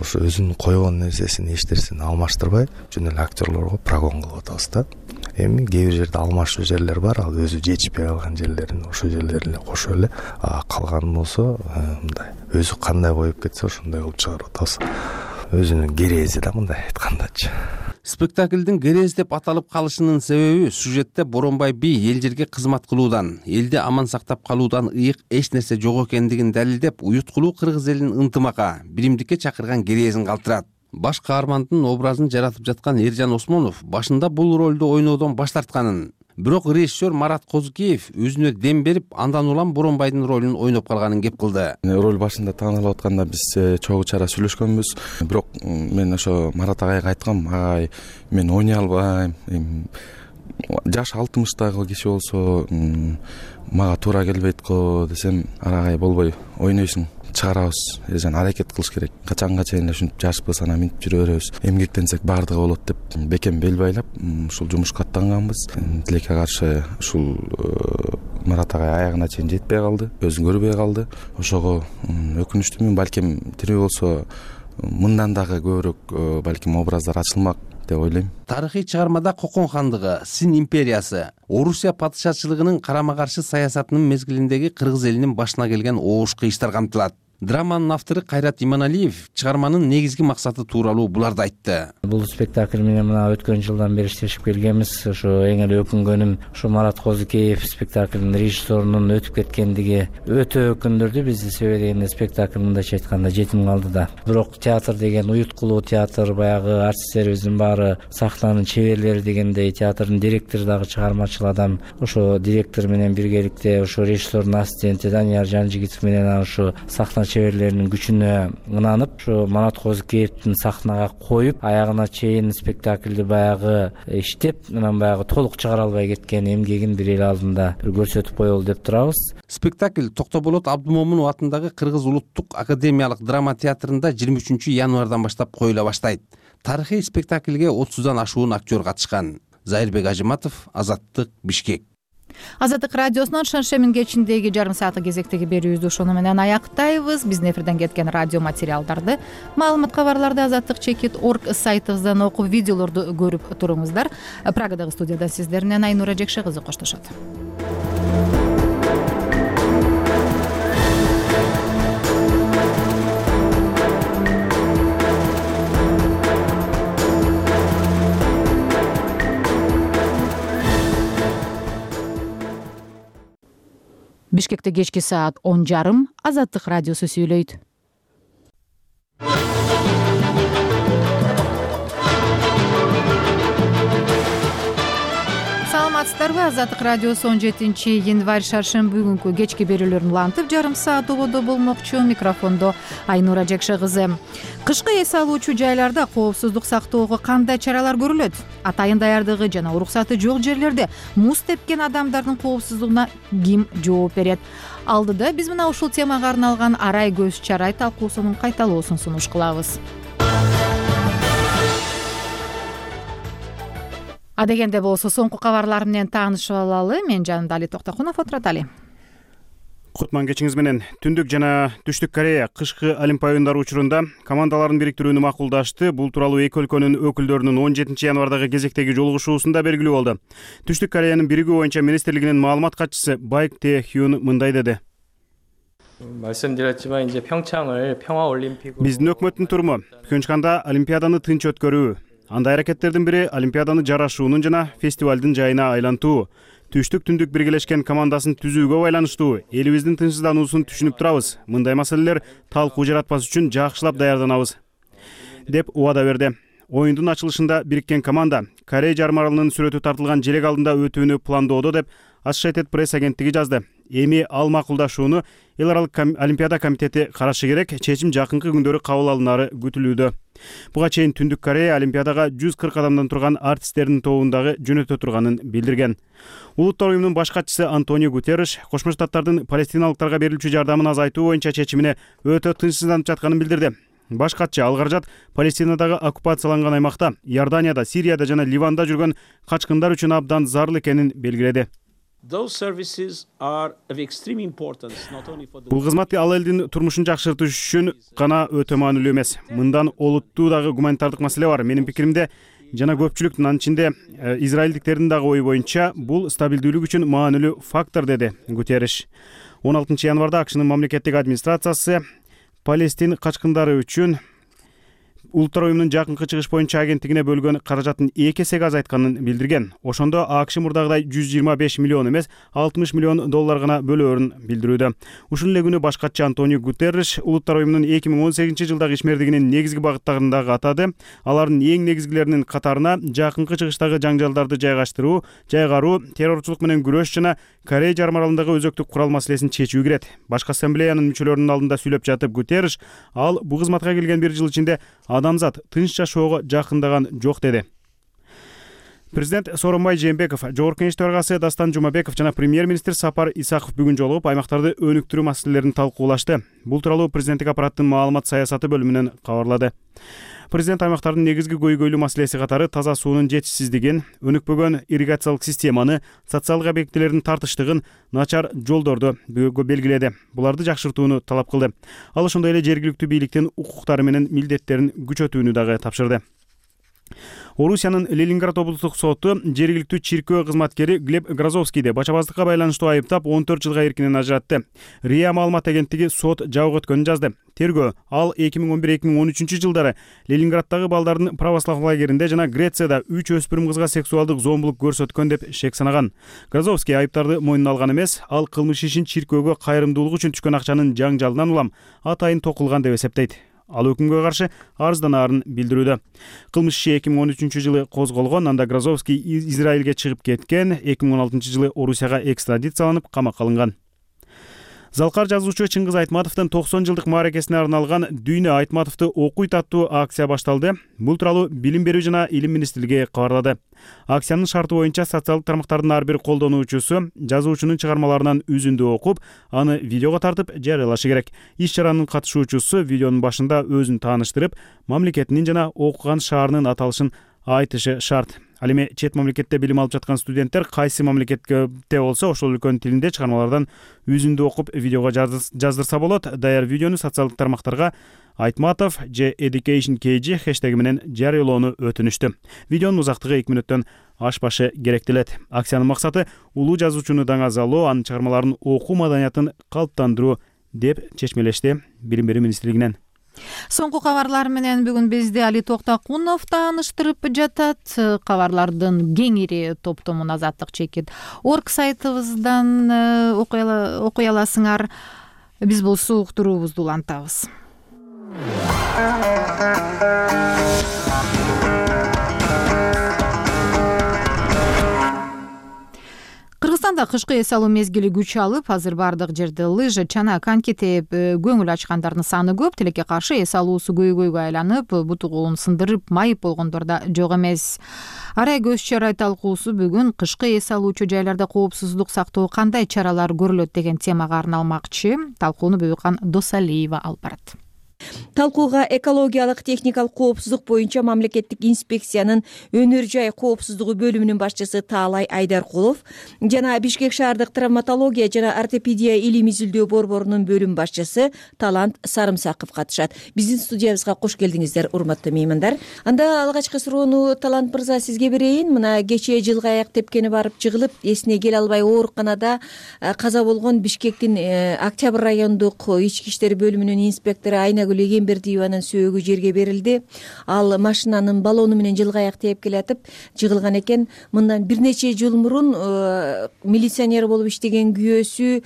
Ошо өзүнүн койгон нерсесин эч-нерсени алмаштырбай, жөн эле актерлорго прогон кылып атабыз да. Эми кээ бир жерде алмашуу жерлер бар, ал өзү жетишпей калган жерлерин ошол жерлерин эле кошуп эле, калган болсо мындай өзү кандай коюп кетсе ошондой кылып чыгарып атабыз. Өзүнүн керези да мындай айткандачы. Спектаклдин Керез деп аталып калышынын себеби сюжетте Боронбай би эл жерге кызмат кылуудан, элди аман сактап калуудан ыйык эч нерсе жок экендигин далилдеп, уюткулуу кыргыз элинин ынтымакка, биримдикке чакырган Керезин калтырат. Баш каармандын образын жаратып жаткан Эржан Осмонов башында бул ролду ойноодон баш тартканын, бирок режиссер Марат Козукеев өзүнө дем берип, андан улам Боронбайдын ролун ойноп калганын кеп кылды. Роль башында тааныла атканда биз чогуу чара сүйлөшкөнбүз. Бирок мен ошо Марат агайга айткам, агай, мен ойной албайм. Жаш алтымыштагы киши болсо мага туура келбейт го десем, агай болбой ойнойсуң. Чыгарабыз, Эржан аракет кылыш керек. Качанга чейин эле ушинтип жашпыз, анан минтип жүрө беребиз. Эмгектенсек баардыгы болот деп бекем бел байлап, ушул жумушка аттанганбыз. Тилекке каршы ушул Марат агай аягына чейин жетпей калды, өзүн көрбөй калды. Ошого өкүнүчтүмүн, балким тирүү болсо мындан дагы көбүрөөк балким образдар ачылмак деп ойлойм. Тарыхый чыгармада Кокон хандыгы, Син империясы, Орусия падышачылыгынын карама каршы саясатынын мезгилиндеги кыргыз элинин башына келген оош кыйыштар камтылат. Драманын автору Кайрат Иманалиев чыгарманын негизги максаты тууралуу буларды айтты. Бул спектакль менен мына өткөн жылдан бери иштешип келгенбиз. Ошо эң эле өкүнгөнүм, ошо Марат Козукеев спектаклдын режиссерунун өтүп кеткендиги өтө өкүндүрдү бизди. Себеби дегенде спектакль мындайча айтканда жетим калды да. Бирок театр деген уюткулуу театр, баягы артисттерибиздин баары сахнанын чеберлери дегендей, театрдын директору дагы чыгармачыл адам. Ошо директор менен биргеликте ошо режиссердун ассистенти Данияр Жанжигитов менен ошо сахна чеберлеринин күчүнө ынанып, ошо Марат Козукеевдин сахнага коюп, аягына чейин спектаклди баягы иштеп, анан баягы толук чыгара албай кеткен эмгегин бир эл алдында көрсөтүп коелу деп турабыз. Спектакль Токтоболот Абдымомунов атындагы Кыргыз Улуттук академиялык драма театрында жыйырма үчүнчү январдан баштап коюла баштайт. Тарыхый спектакльге отуздан ашуун актер катышкан. Зайырбек Ажыматов, Азаттык, Бишкек. Азаттык радиосунун шаршемин кечиндеги жарым сааттык кезектеги берүүбүздү ошону менен аяктайбыз. Биздин эфирден кеткен радио материалдарды, маалымат кабарларды азаттык чекит точка орг сайтыбыздан окуп, видеолорду көрүп туруңуздар. Прагадагы студиядан сиздер менен Айнура Жекше кызы коштошот. Бишкекте кечки саат он жарым. Азаттык радиосу сүйлөйт. Саламатсыздарбы? Азаттык радиосу он жетинчи январь шаршемби күнкү кечки берүүлөрүн улантып, жарым саат ободо болмокчу. Микрофондо Айнура Жекше кызы. Кышкы эс алуучу жайларда коопсуздук сактоого кандай чаралар көрүлөт? Атайын даярдыгы жана уруксаты жок жерлерде муз тепкен адамдардын коопсуздугуна ким жооп берет? Алдыда биз мына ушул темага арналган арай көз чарай талкуусунун кайталоосун сунуш кылабыз. Адегенде болсо соңку кабарлар менен таанышып алалы. Мен жанымда Али Токтокунов отурат. Али. Кутман кечиңиз менен. Түндүк жана Түштүк Корея кышкы Олимпия оюндары учурунда командаларын бириктирүүнү макулдашты. Бул тууралуу эки өлкөнүн өкүлдөрүнүн он жетинчи январдагы кезектеги жолугушуусунда белгилүү болду. Түштүк Кореянын биригүү боюнча министрлигинин маалымат катчысы Байк Те Хюн мындай деди. 말씀드렸지만 이제 평창을 평화 올림픽으로 Биздин өкмөттүн туруму Пхенчханда Олимпиаданы тынч өткөрүү. Андай аракеттердин бири Олимпиаданы жарашуунун жана фестивалдын жайына айлантуу. Түштүк түндүк биргелешкен командасын түзүүгө байланыштуу. Элибиздин тынчсыздануусун түшүнүп турабыз. Мындай маселелер талкуу жаратпас үчүн жакшылап даярданабыз, деп убада берди. Оюндун ачылышында бириккен команда Корея жарым аралынын сүрөтү тартылган желек алдында өтүүнү пландоодо, деп Associated Press агенттиги жазды. Эми ал макулдашууну Эл аралык Олимпиада комитети карашы керек, чечим жакынкы күндөрү кабыл алынары күтүлүүдө. Буга чейин Түндүк Корея Олимпиадага жүз кырк адамдан турган артисттердин тобундагы жөнөтө турганын билдирген. Улуттар уюмунун баш катчысы Антонио Гутерриш Кошмо Штаттардын палестиналыктарга берилчү жардамын азайтуу боюнча чечимине өтө тынчсызданып жатканын билдирди. Баш катчы ал каражат Палестинадагы оккупацияланган аймакта, Иорданияда, Сирияда жана Ливанда жүргөн качкындар үчүн абдан зарыл экенин белгиледи. Бул кызмат ал элдин турмушун жакшыртыш үчүн гана өтө маанилүү эмес. Мындан олуттуу дагы гуманитардык маселе бар. Менин пикиримде жана көпчүлүктүн, анын ичинде израилдиктердин дагы ою боюнча бул стабилдүүлүк үчүн маанилүү фактор, деди Гутерриш. он алтынчы январда АКШнын мамлекеттик администрациясы Палестин качкындары үчүн Улуттар уюмунун жакынкы чыгыш боюнча агенттигине бөлгөн каражатын эки эсеге азайтканын билдирген. Ошондо АКШ мурдагыдай жүз жыйырма беш миллион эмес, алтымыш миллион доллар гана бөлөөрүн билдирүүдө. Ушул эле күнү баш катчы Антонио Гутерриш Улуттар уюмунун эки миң он сегизинчи жылдагы ишмердигинин негизги багыттарын дагы атады. Алардын эң негизгилеринин катарына жакынкы чыгыштагы жаңжалдарды жайгаштыруу, жайгаруу, террорчулук менен күрөш жана Корея жарым аралындагы өзөктүк курал маселесин чечүү кирет. Башкы ассамблеянын мүчөлөрүнүн алдында сүйлөп жатып Гутерриш ал бул кызматка келген бир жыл ичинде адамзат тынч жашоого жакындаган жок, деди. Президент Сооронбай Жээнбеков, Жогорку Кеңеш төрагасы Дастан Жумабеков жана премьер-министр Сапар Исаков бүгүн жолугуп аймактарды өнүктүрүү маселелерин талкуулашты. Бул тууралуу президенттик аппараттын маалымат саясаты бөлүмүнөн кабарлады. Президент аймактардын негизги көйгөйлүү маселеси катары таза суунун жетишсиздигин, өнүкпөгөн ирригациялык системаны, социалдык объектилердин тартыштыгын, начар жолдорду белгиледи. Буларды жакшыртууну талап кылды. Ал ошондой эле жергиликтүү бийликтин укуктары менен милдеттерин күчөтүүнү дагы тапшырды. Орусиянын Ленинград облустук соту жергиликтүү чиркөө кызматкери Глеб Грозовскийди бачабаздыкка байланыштуу айыптап он төрт жылга эркинен ажыратты. РИА маалымат агенттиги сот жабык өткөнүн жазды. Тергөө ал эки миң он бир эки миң он үчүнчү жылдары Ленинграддагы балдардын православ лагеринде жана Грецияда үч өспүрүм кызга сексуалдык зомбулук көрсөткөн деп шек санаган. Грозовский айыптарды мойнуна алган эмес, ал кылмыш ишин чиркөөгө кайрымдуулук үчүн түшкөн акчанын жаңжалынан улам атайын токулган деп эсептейт. Ал өкүмгө каршы арызданаарын билдирүүдө. Кылмыш иши эки миң он үчүнчү жылы козголгон, анда Грозовский Израилге чыгып кеткен, эки миң он алтынчы жылы Орусияга экстрадицияланып камакка алынган. Залкар жазуучу Чыңгыз Айтматовдун токсон жылдык мааракесине арналган Дүйнө Айтматовду окуйт аттуу акция башталды. Бул тууралуу Билим берүү жана Илим министрлиги кабарлады. Акциянын шарты боюнча социалдык тармактардын ар бир колдонуучусу жазуучунун чыгармаларынан үзүндү окуп, аны видеого тартып жарыялашы керек. Иш чаранын катышуучусу видеонун башында өзүн тааныштырып, мамлекетинин жана окуган шаарынын аталышын айтышы шарт. Ал эми чет мамлекетте билим алып жаткан студенттер кайсы мамлекетте болсо ошол өлкөнүн тилинде чыгармалардан үзүндү окуп видеого жаздырса болот. Даяр видеону социалдык тармактарга Айтматов же Education кей джи хэштеги менен жарыялоону өтүнүштү. Видеонун узактыгы эки мүнөттөн ашпашы керектелет. Акциянын максаты улуу жазуучуну даңазалоо, анын чыгармаларын окуу маданиятын калыптандыруу деп чечмелешти Билим берүү министрлигинен. Соңку кабарлар менен бүгүн бизди Али Токтакунов тааныштырып жатат. Кабарлардын кеңири топтомун Азаттык чекит орг сайтыбыздан окуй аласыңар. Биз болсо уктуруубузду улантабыз. Кыргызстанда кышкы эс алуу мезгили күч алып, азыр бардык жерде лыжа, чана, коньки тээп көңүл ачкандардын саны көп. Тилекке каршы эс алуусу көйгөйгө айланып, буту колун сындырып, майып болгондор да жок эмес. Арай көз чарай талкуусу бүгүн кышкы эс алуучу жайларда коопсуздук сактоо кандай чаралар көрүлөт деген темага арналмакчы. Талкууну Бөбүкан Досалиева алып барат. Талкууга экологиялык техникалык коопсуздук боюнча мамлекеттик инспекциянын өнөр жай коопсуздугу бөлүмүнүн башчысы Таалай Айдаркулов жана Бишкек шаардык травматология жана ортопедия илим изилдөө борборунун бөлүм башчысы Талант Сарымсаков катышат. Биздин студиябызга кош келдиңиздер, урматтуу меймандар. Анда алгачкы суроону Талант мырза сизге берейин. Мына кечээ жылга аяк тепкени барып жыгылып, эсине келе албай ооруканада каза болгон Бишкектин Октябрь райондук ички иштер бөлүмүнүн инспектору Айнагүл Эгембердиеванын сөөгү жерге берилди. Ал машинанын баллону менен жылга аяк тээп келатып жыгылган экен. Мындан бир нече жыл мурун милиционер болуп иштеген күйөөсү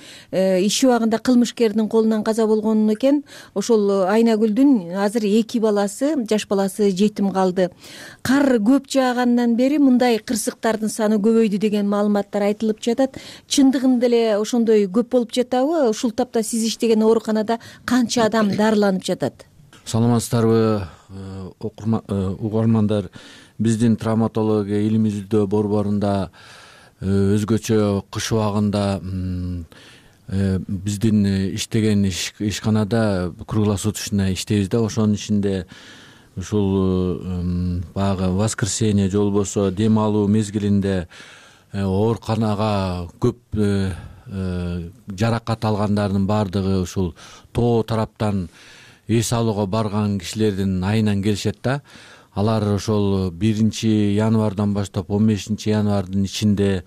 иш убагында кылмышкердин колунан каза болгон экен. Ошол Айнагүлдүн азыр эки баласы, жаш баласы жетим калды. Кар көп жаагандан бери мындай кырсыктардын саны көбөйдү деген маалыматтар айтылып жатат. Чындыгында эле ошондой көп болуп жатабы? Ушул тапта сиз иштеген ооруканада канча адам дарыланып жатат? Саламатсыздарбы, угармандар. Биздин травматология илим изилдөө борборунда өзгөчө кыш убагында биздин иштеген ишканада круглосуточно иштейбиз да. Ошонун ичинде ушул баягы воскресенье же болбосо дем алуу мезгилинде ооруканага көп жаракат алгандардын баардыгы ушул тоо тараптан эс алууга барган кишилердин айынан келишет да. Алар ошол биринчи январдан баштап он бешинчи январдын ичинде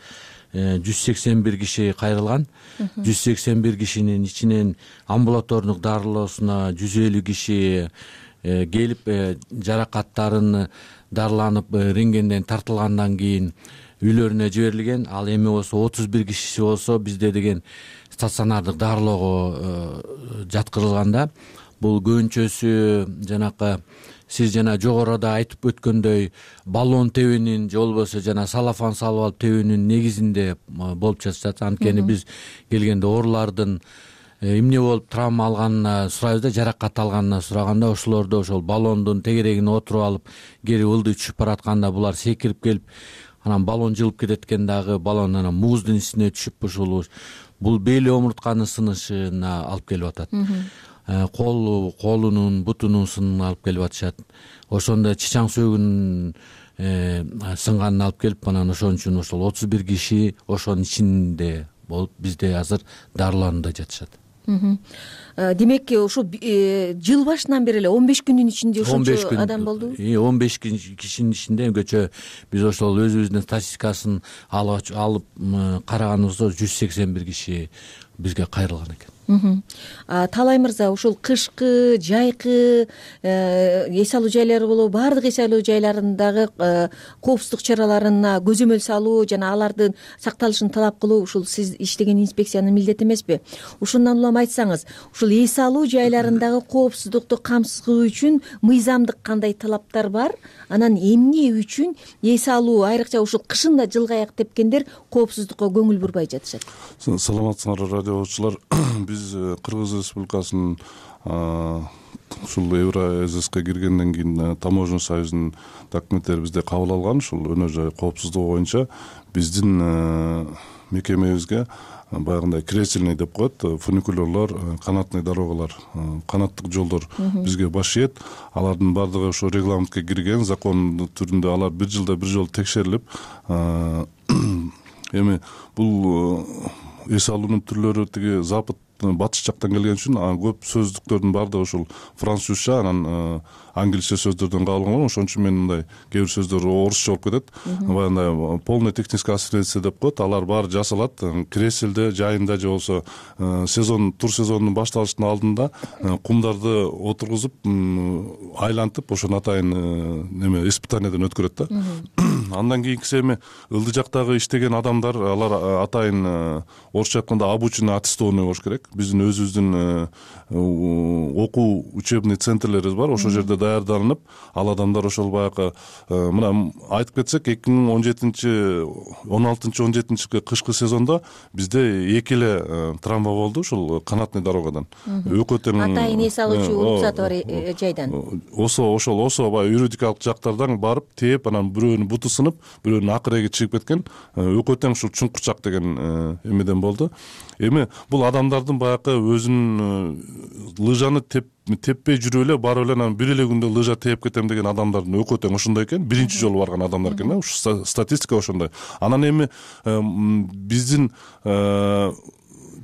жүз сексен бир киши кайрылган. жүз сексен бир кишинин ичинен амбулатордук дарылоосуна жүз элүү киши келип жаракаттарын дарыланып рентгенден тартылгандан кийин үйлөрүнө жиберилген. Ал эми болсо отуз бир кишиси болсо бизде деген стационардык дарылоого жаткырылган да. Бул көбүнчөсү жанакы сиз жана жогоруда айтып өткөндөй баллон тебүүнүн же болбосо жана салафан салып алып тебүүнүн негизинде болуп жатышат. Анткени биз келгенде оорулардын эмне болуп травма алганына сурайбыз да, жаракат алганына сураганда ошолордо ошол баллондун тегерегине отуруп алып кери ылдый түшүп баратканда булар секирип келип анан баллон жылып кетет экен дагы. Баллон анан мууздун ичине түшүп ушул бул бели омуртканын сынышына алып келип атат. Кол колунун бутунун сынына алып келип атышат. Ошондо чычаң сөөгүнүн сынганын алып келип анан ошон үчүн ошол отуз бир киши ошонун ичинде болуп бизде азыр дарыланууда жатышат. Демек ошо жыл башынан бери эле он беш күндүн ичинде ошончо адам болду. он беш кишинин ичинде көчө биз ошол өзүбүздүн статистикасын алып караганыбызда жүз сексен бир киши бизге кайрылган экен. Таалай мырза, ушул кышкы, жайкы эс алуу жайлары болобу, баардык эс алуу жайларындагы коопсуздук чараларына көзөмөл салуу жана алардын сакталышын талап кылуу ушул сиз иштеген инспекциянын милдети эмеспи? Ушундан улам айтсаңыз, ушул эс алуу жайларындагы коопсуздукту камсыздоо үчүн мыйзамдык кандай талаптар бар? Анан эмне үчүн эс алуу, айрыкча ушул кышында жылга аяк тепкендер коопсуздукка көңүл бурбай жатышат? Саламатсыңарбы радиочулар. Биз Кыргыз Республикасынын ушул Евразиска киргенден кийин таможня союзунун документтери бизде кабыл алган. Ушул өнөр жай коопсуздугу боюнча биздин мекемебизге баягындай кресельный деп коет, фуникулерлор, канатный дорогалар, канаттык жолдор бизге баш ийет. Алардын баардыгы ошо регламентке кирген, закон түрүндө алар бир жылда бир жолу текшерилип, эми бул эс алуунун түрлөрү тиги запад батыш жактан келген үчүн көп сөздүктөрдүн баардыгы ушул французча, анан англисче сөздөрдөн кабылган. Ошон үчүн мен мындай кээ бир сөздөр орусча болуп кетет. Баягындай полный техническая ассистенция деп коет. Алар баары жасалат. Креселде, жайында же болбосо сезон, тур сезонунун башталыштын алдында кумдарды отургузуп, айлантып, ошону атайын неме испытанияден өткөрөт да. Андан кийинкиси эми ылдый жактагы иштеген адамдар, алар атайын орусча айтканда обученный, аттестованный болуш керек. Биздин өзүбүздүн окуу учебный центрлерибиз бар. Ошол жерде даярданып, ал адамдар ошол баягы мына айтып кетсек, эки миң он жетинчи он алтынчы он жетинчи кышкы сезондо бизде эки эле травма болду ушул канатный дорогадан. Экөө тең атайын эс алуучу уруксаты бар жайдан. Осо ошол осо баягы юридикалык жактардан барып тээп, анан бирөөнүн буту сынып, бирөөнүн акыреги чыгып кеткен. Экөө тең ушул чуңкурчак деген эмеден болду. Эми бул адамдардын баягы өзүнүн лыжаны теп теппей жүрүп эле барып эле анан бир эле күндө лыжа тээп кетем деген адамдардын экөө тең ошондой экен. Биринчи жолу барган адамдар экен да. Ушу статистика ошондой. Анан эми биздин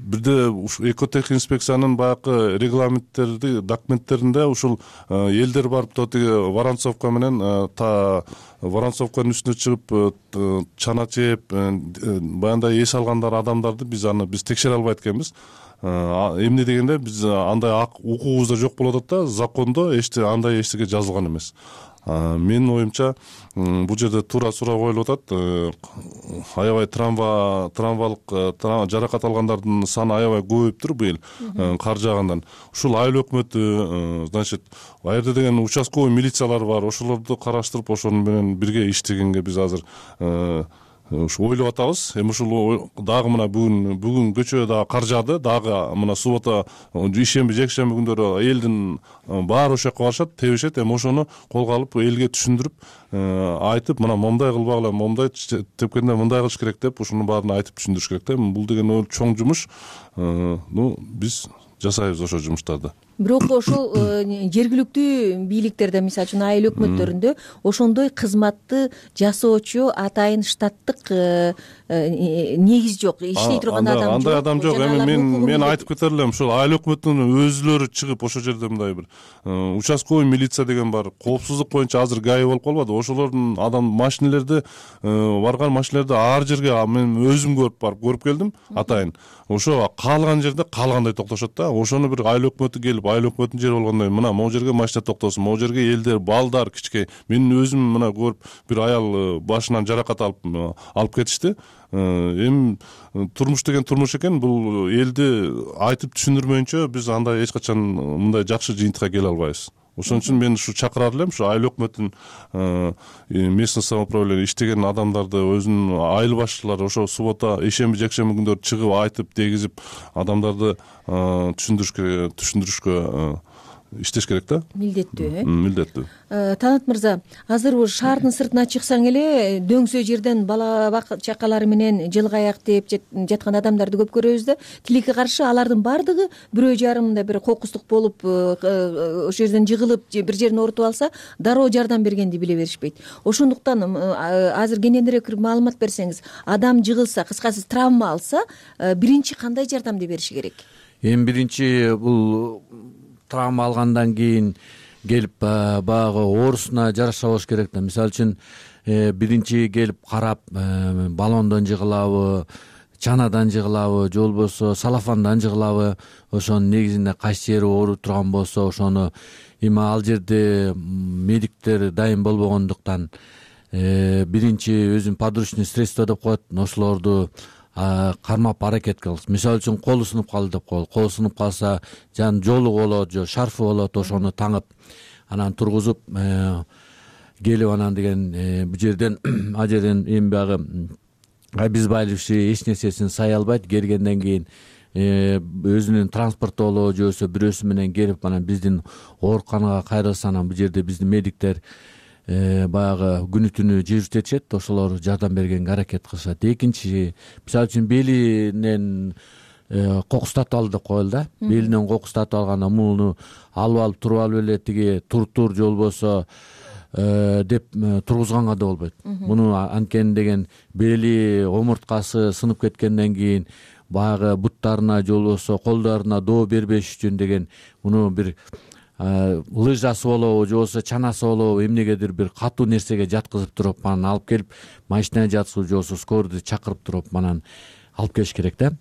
бирде ушу экотех инспекциянын баягы регламенттерди, документтеринде ушул элдер барып тотиги Воронцовка менен та Воронцовканын үстүнө чыгып чана чээп, баягындай эс алгандар адамдарды биз аны биз текшере албайт экенбиз. Эмне дегенде биз андай укугубузда жок болуп атат да, закондо эчте андай эчтеке жазылган эмес. Менин оюмча бул жерде туура суроо коюлуп атат. Аябай травма, травмалык жаракат алгандардын саны аябай көбөйүптүр быйыл кар жаагандан. Ушул айыл өкмөтү, значит, ал жерде деген участковый милициялар бар. Ошолорду караштырып, ошонун менен бирге иштегенге биз азыр ушу ойлоп атабыз. Эми ушул дагы мына бүгүн бүгүн көчө дагы кар жаады, дагы мына суббота, ишемби, жекшемби күндөрү элдин баары ошол жака барышат, тебишет. Эми ошону колго алып, элге түшүндүрүп, айтып, мына момундай кылбагыла, момундай тепкенде мындай кылыш керек деп, ошонун баарын айтып түшүндүрүш керек да. Бул деген чоң жумуш. Ну, биз жасайбыз ошол жумуштарды. Бирок ошол жергиликтүү бийликтерде, мисалы үчүн айыл өкмөттөрүндө ошондой кызматты жасоочу атайын штаттык негиз жок. Иштей турган адам жок. Андай адам жок. Эми мен мен айтып кетер элем, ушул айыл өкмөтүнүн өзүлөрү чыгып ошол жерде мындай бир участковый милиция деген бар. Коопсуздук боюнча азыр ГАИ болуп калбады. Ошолордун адам машинелерди барган машинелерди ар жерге мен өзүм көрүп барып көрүп келдим атайын. Ошо каалган жерде каалгандай токтошот да. Ошону бир айыл өкмөтү келип, айыл өкмөтүнүн жери болгондой, мына могу жерге машина токтосун, могу жерге элдер, балдар, кичке. Мен өзүм мына көрүп, бир аял башынан жаракат алып алып кетишти. Эми турмуш деген турмуш экен. Бул элди айтып түшүндүрмөйүнчө биз андай эч качан мындай жакшы жыйынтыкка келе албайбыз. Ошон үчүн мен ушу чакырар элем, ушу айыл өкмөтүн местный самоуправление иштеген адамдарды, өзүнүн айыл башчылары ошо суббота, ишемби, жекшемби күндөрү чыгып айтып, дегизип, адамдарды түшүндүрүшкө түшүндүрүшкө иштеш керек да. Милдеттүү, э? Милдеттүү. Танат мырза, азыр шаардын сыртына чыксаң эле дөңсө жерден бала чакалары менен жылгаяк тээп жаткан адамдарды көп көрөбүз да. Тилекке каршы алардын баардыгы бирөө жарымда бир кокустук болуп, ошол жерден жыгылып, бир жерин оорутуп алса, дароо жардам бергенди биле беришпейт. Ошондуктан азыр кененирээк маалымат берсеңиз, адам жыгылса, кыскасы травма алса, биринчи кандай жардамды бериши керек? Эми биринчи бул травма алгандан кийин келип баягы оорусуна жараша болуш керек да. Мисалы үчүн биринчи келип карап, баллондон жыгылабы, чанадан жыгылабы, же болбосо салафандан жыгылабы, ошонун негизинде кайсы жери ооруп турган болсо, ошону эми ал жерде медиктер дайым болбогондуктан биринчи өзүн подручный средство деп коет, ошолорду кармап аракет кылабыз. Мисалы үчүн колу сынып калды деп коелу. Колу сынып калса, жан жолу болот, же шарфы болот, ошону таңып, анан тургузуп келип, анан деген бул жерден а жерден эми баягы обезболивающий эч нерсесин сай албайт. Келгенден кийин өзүнүн транспорту болобу, же болбосо бирөөсү менен келип, анан биздин ооруканага кайрылса, анан бул жерде биздин медиктер баягы күнү түнү жүрүтүшет, ошолор жардам бергенге аракет кылышат. Экинчи, мисалы үчүн белинен кокустатып ал деп коелу да. Белинен кокустатып алганда муну алып алып туруп алып эле тиги тур-тур же болбосо деп тургузганга да болбойт. Муну анткени деген бели, омурткасы сынып кеткенден кийин баягы буттарына же болбосо колдоруна доо бербеш үчүн деген муну бир лыжасы болобу же болбосо чанасы болобу эмнегедир бир катуу нерсеге жаткызып туруп анан алып келип машинага жаткызып же болбосо скорыйду чакырып туруп анан алып келиш керек да.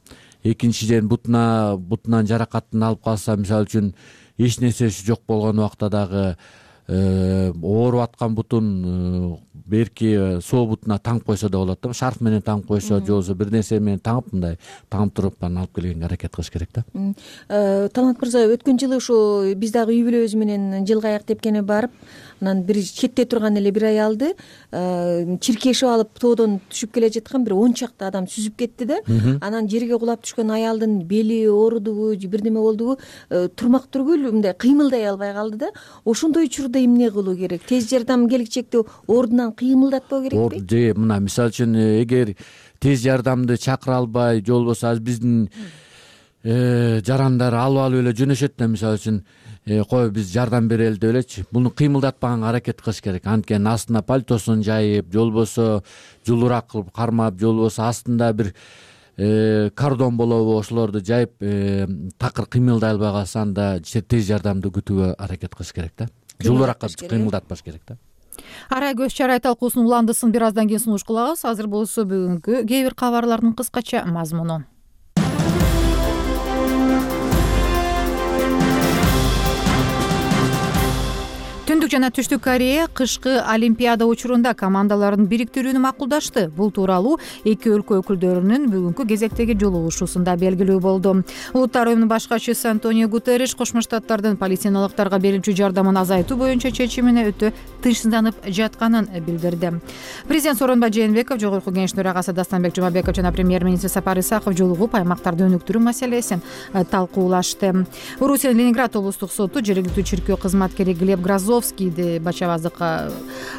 Экинчиден бутуна бутунан жаракатын алып калса, мисалы үчүн эч нерсеси жок болгон убакта дагы ооруп аткан бутун берки соо бутуна таңып койсо да болот да. Шарф менен таңып койсо же болбосо бир нерсе менен таңып мындай таңып туруп анан алып келгенге аракет кылыш керек да. Талант мырза, өткөн жылы ушу биз дагы үй бүлөбүз менен жылга аяк тепкене барып, анан бир четте турган эле бир аялды чиркешип алып тоодон түшүп келе жаткан бир он чакты адам сүзүп кетти да. Анан жерге кулап түшкөн аялдын бели оорудубу же бир неме болдубу, турмак түргүл мындай кыймылдай албай калды да. Ошондой учурда эмне кылуу керек? Тез жардам келечекте ордунан кыймылдатпоо керекпи? Же мына мисалы үчүн эгер тез жардамды чакыра албай же болбосо азыр биздин жарандар алып алып эле жөнөшөт да, мисалы үчүн кой биз жардам берели деп элечи, буну кыймылдатпаганга аракет кылыш керек. Анткени астына пальтосун жайып же болбосо жулураак кылып кармап же болбосо астында бир кардон болобу ошолорду жайып такыр кыймылдай албай калса анда тез жардамды күтүүгө аракет кылыш керек да. Жулураак кыймылдатпаш керек да. Арай көз чарай талкуусунун уландысын бир аздан кийин сунуш кылабыз. Азыр болсо бүгүнкү кээ бир кабарлардын кыскача мазмуну. Түндүк жана Түштүк Корея кышкы Олимпиада учурунда командаларын бириктирүүнү макулдашты. Бул тууралуу эки өлкө өкүлдөрүнүн бүгүнкү кезектеги жолугушуусунда белгилүү болду. Улуттар уюмунун баш катчысы Антонио Гутерриш Кошмо Штаттардын палестиналыктарга берилчү жардамын азайтуу боюнча чечимине өтө тынчсызданып жатканын билдирди. Президент Сооронбай Жээнбеков, Жогорку Кеңештин төрагасы Дастанбек Жумабеков жана премьер-министр Сапар Исаков жолугуп аймактарды өнүктүрүү маселесин талкуулашты. Орусиянын Ленинград облустук соту жергиликтүү чиркөө кызматкери Глеб Грозовскийди бачабаздыкка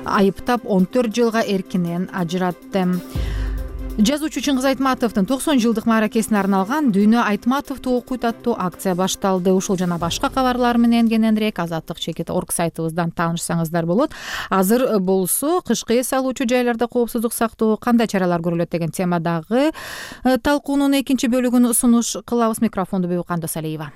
айыптап он төрт жылга эркинен ажыратты. Жазуучу Чыңгыз Айтматовдун токсон жылдык мааракесине арналган Дүйнө Айтматовду окуйт аттуу акция башталды. Ушул жана башка кабарлар менен кененирээк азаттык чекит орг сайтыбыздан таанышсаңыздар болот. Азыр болсо кышкы эс алуучу жайларда коопсуздук сактоо кандай чаралар көрүлөт деген темадагы талкуунун экинчи бөлүгүн сунуш кылабыз. Микрофонду Бибу Кандосалиева.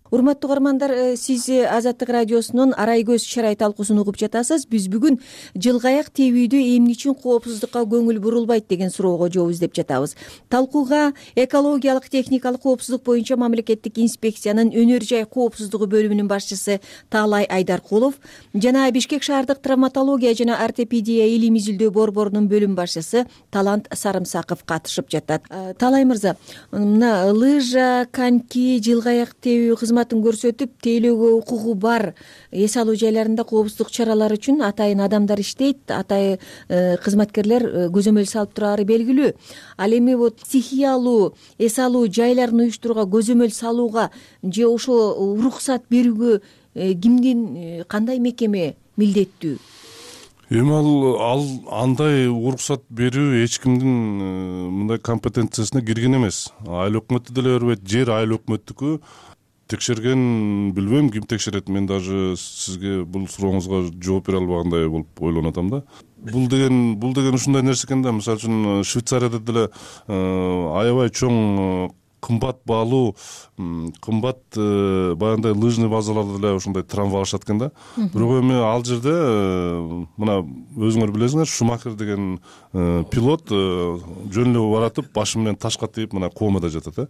Урматтуу угармандар, сиз Азаттык радиосунун Арай көз чарай талкуусун угуп жатасыз. Биз бүгүн жылгаяк тебүүдө эмне үчүн коопсуздукка көңүл бурулбайт деген суроого жооп издеп жатабыз. Талкууга экологиялык техникалык коопсуздук боюнча мамлекеттик инспекциянын өнөр жай коопсуздугу бөлүмүнүн башчысы Таалай Айдаркулов жана Бишкек шаардык травматология жана ортопедия илим изилдөө борборунун бөлүм башчысы Талант Сарымсаков катышып жатат. Таалай мырза, мына лыжа, коньки, жылгаяк тебүү кызматын көрсөтүп тейлөөгө укугу бар эс алуу жайларында коопсуздук чаралары үчүн атайын адамдар иштейт, атайын кызматкерлер көзөмөл салып турары белгилүү. Ал эми вот стихиялуу эс алуу жайларын уюштурууга, көзөмөл салууга же ошо уруксат берүүгө кимдин, кандай мекеме милдеттүү? Эми ал ал андай уруксат берүү эч кимдин мындай компетенциясына кирген эмес. Айыл өкмөтү деле бербейт, жер айыл өкмөттүкү. Текшерген билбейм, ким текшерет. Мен даже сизге бул сурооңузга жооп бере албагандай болуп ойлонуп атам да. Бул деген бул деген ушундай нерсе экен да. Мисалы үчүн Швейцарияда деле аябай чоң кымбат баалуу, кымбат баягындай лыжный базаларда деле ушундай трамвай алышат экен да. Бирок эми ал жерде мына өзүңөр билесиңер, Шумахер деген пилот жөн эле баратып башы менен ташка тийип мына комада жатат э.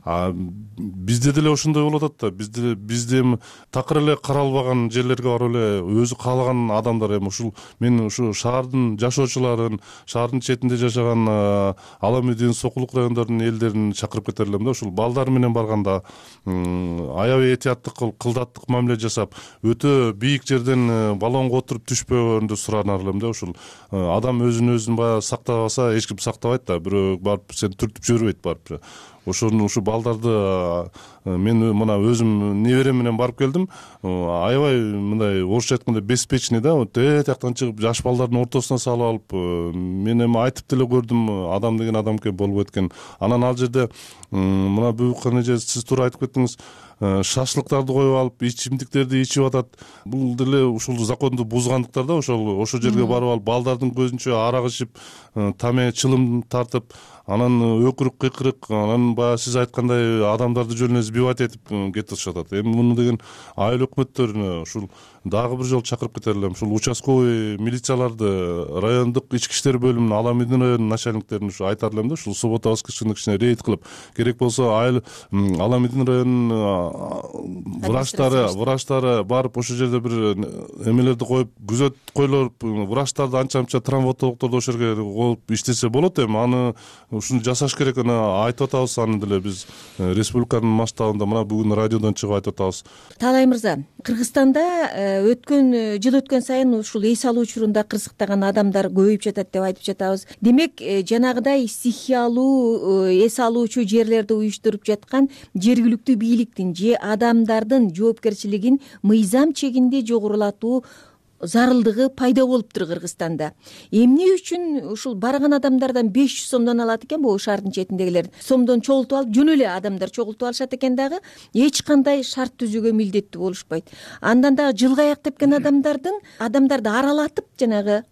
А бизде деле ошондой болуп атат да. Бизде бизде эми такыр эле каралбаган жерлерге барып эле өзү каалаган адамдар эми ушул мен ушу шаардын жашоочуларын, шаардын четинде жашаган ал эми сокулук райондордун элдерин чакырып кетерлим да. Ушул балдар менен барганда аябай этияттык кылып, кылдаттык мамиле жасап, өтө бийик жерден баллонго отуруп түшпөгөндү суранар элем да. Ушул адам өзүн өзүн баягы сактабаса эч ким сактабайт да. Бирөө барып сени түртүп жибербейт барып. ошону ушу балдарды мен мына өзүм неберем менен барып келдим. Аябай мындай орусча айтканда беспечный да, вот этияктан чыгып жаш балдардын ортосуна салып алып, мен эми айтып деле көрдүм, адам деген адам экен, болбойт экен. Анан ал жерде мына буюкан эже сиз туура айтып кеттиңиз, шашлыктарды коюп алып, ичимдиктерди ичип атат. Бул деле ушул законду бузгандыктар да, ошол ошол жерге барып алып, балдардын көзүнчө арак ичип, таме чылым тартып, анан өкүрүк кыйкырык, анан баягы сиз айткандай адамдарды жөн эле сбивать этип кетип атат. Эми муну деген айыл өкмөттөрүнө ушул дагы бир жолу чакырып кетер элем. Ушул участковый милицияларды, райондук ички иштер бөлүмүнүн, Аламидин районунун начальниктерин ушу айтар элем да, ушул суббота воскресенье кичине рейд кылып, керек болсо айыл Аламидин районунун врачтары, врачтары барып ошол жерде бир эмелерди коюп, күзөт коюлуп, врачтарды анча-мынча травматологдорду ошол жерге коюп иштесе болот. Эми аны ушуну жасаш керек, аны айтып атабыз, аны деле биз республиканын масштабында мына бүгүн радиодон чыгып айтып атабыз. Таалай мырза, Кыргызстанда өткөн жыл өткөн сайын ушул эс алуу учурунда кырсыктаган адамдар көбөйүп жатат деп айтып жатабыз. Демек, жанагыдай стихиялуу эс алуучу жерлерди уюштуруп жаткан жергиликтүү бийликтин же адамдардын жоопкерчилигин мыйзам чегинде жогорулатуу зарылдыгы пайда болуптур Кыргызстанда. Эмне үчүн ушул барган адамдардан беш жүз сомдон алат экен, бул шаардын четиндегилер сомдон чогултуп алып, жөн эле адамдар чогултуп алышат экен дагы, эч кандай шарт түзүүгө милдеттүү болушпайт. Андан дагы жылга аяктап келген адамдардын адамдарды аралатып, жанагы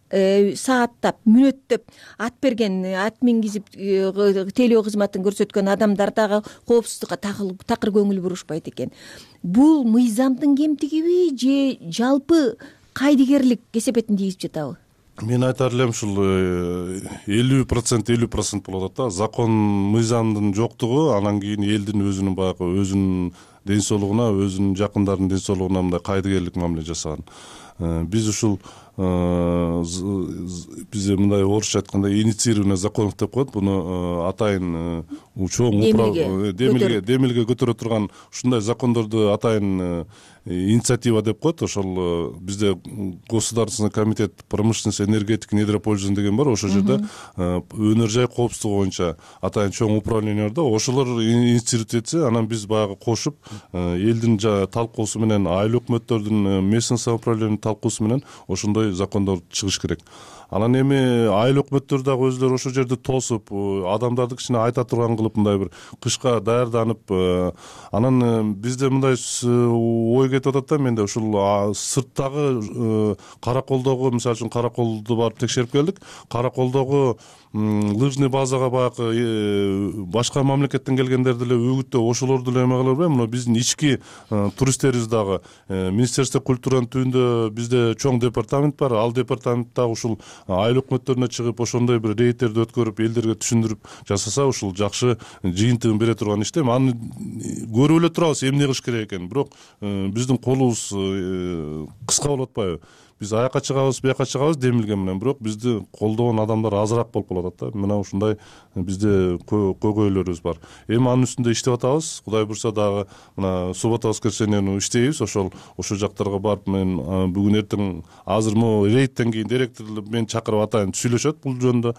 сааттап, мүнөттөп ат берген, ат мингизип тейлөө кызматын көрсөткөн адамдар дагы коопсуздукка такыр көңүл бурушпайт экен. Бул мыйзамдын кемтигиби же жалпы кайдыгерлик кесепетин тийгизип жатабы? Мен айтар элем, ушул элүү процент элүү процент болуп атат да. Закон, мыйзамдын жоктугу, анан кийин элдин өзүнүн баягы өзүнүн ден соолугуна, өзүнүн жакындарынын ден соолугуна мындай кайдыгерлик мамиле жасаган. Биз ушул бизде мындай орусча айтканда инициированный законов деп коет. Буну атайын чоң демилге демилге көтөрө турган ушундай закондорду атайын инициатива деп коет. Ошол бизде Государственный комитет промышленности, энергетики, недропользования деген бар. Ошол жерде өнөр жай коопсуздугу боюнча атайын чоң управление бар да. Ошолор инициировать этсе, анан биз баягы кошуп, элдин талкуусу менен, айыл өкмөттөрдүн, местный самоуправлениянын талкуусу менен ошондой закондор чыгыш керек. Анан эми айыл өкмөттөр дагы өзлөрү ошол жерди тосуп, адамдарды кичине айта турган кылып, мындай бир кышка даярданып, анан бизде мындай ой кетип атат да, менде ушул сырттагы Караколдогу, мисалы үчүн Караколду барып текшерип келдик. Караколдогу лыжный базага баягы башка мамлекеттен келгендерди эле үгүттөө, ошолорду эле эме кылып эле, мына биздин ички туристтерибиз дагы Министерство культуранын түбүндө бизде чоң департамент бар. Ал департамент дагы ушул айыл өкмөттөрүнө чыгып, ошондой бир рейдтерди өткөрүп, элдерге түшүндүрүп жасаса, ушул жакшы жыйынтыгын бере турган иште. Аны көрүп эле турабыз, эмне кылыш керек экенин. Бирок биздин колубуз кыска болуп атпайбы? Биз аякка чыгабыз, бияка чыгабыз демилге менен, бирок бизди колдогон адамдар азыраак болуп калып атат да. Мына ушундай бизде көйгөйлөрүбүз бар. Эми анын үстүндө иштеп атабыз. Кудай буйрса дагы мына суббота воскресеньени иштейбиз. Ошол ошол жактарга барып, мен бүгүн эртең азыр могу рейдтен кийин директорлор мени чакырып атайын сүйлөшөт бул жөнүндө.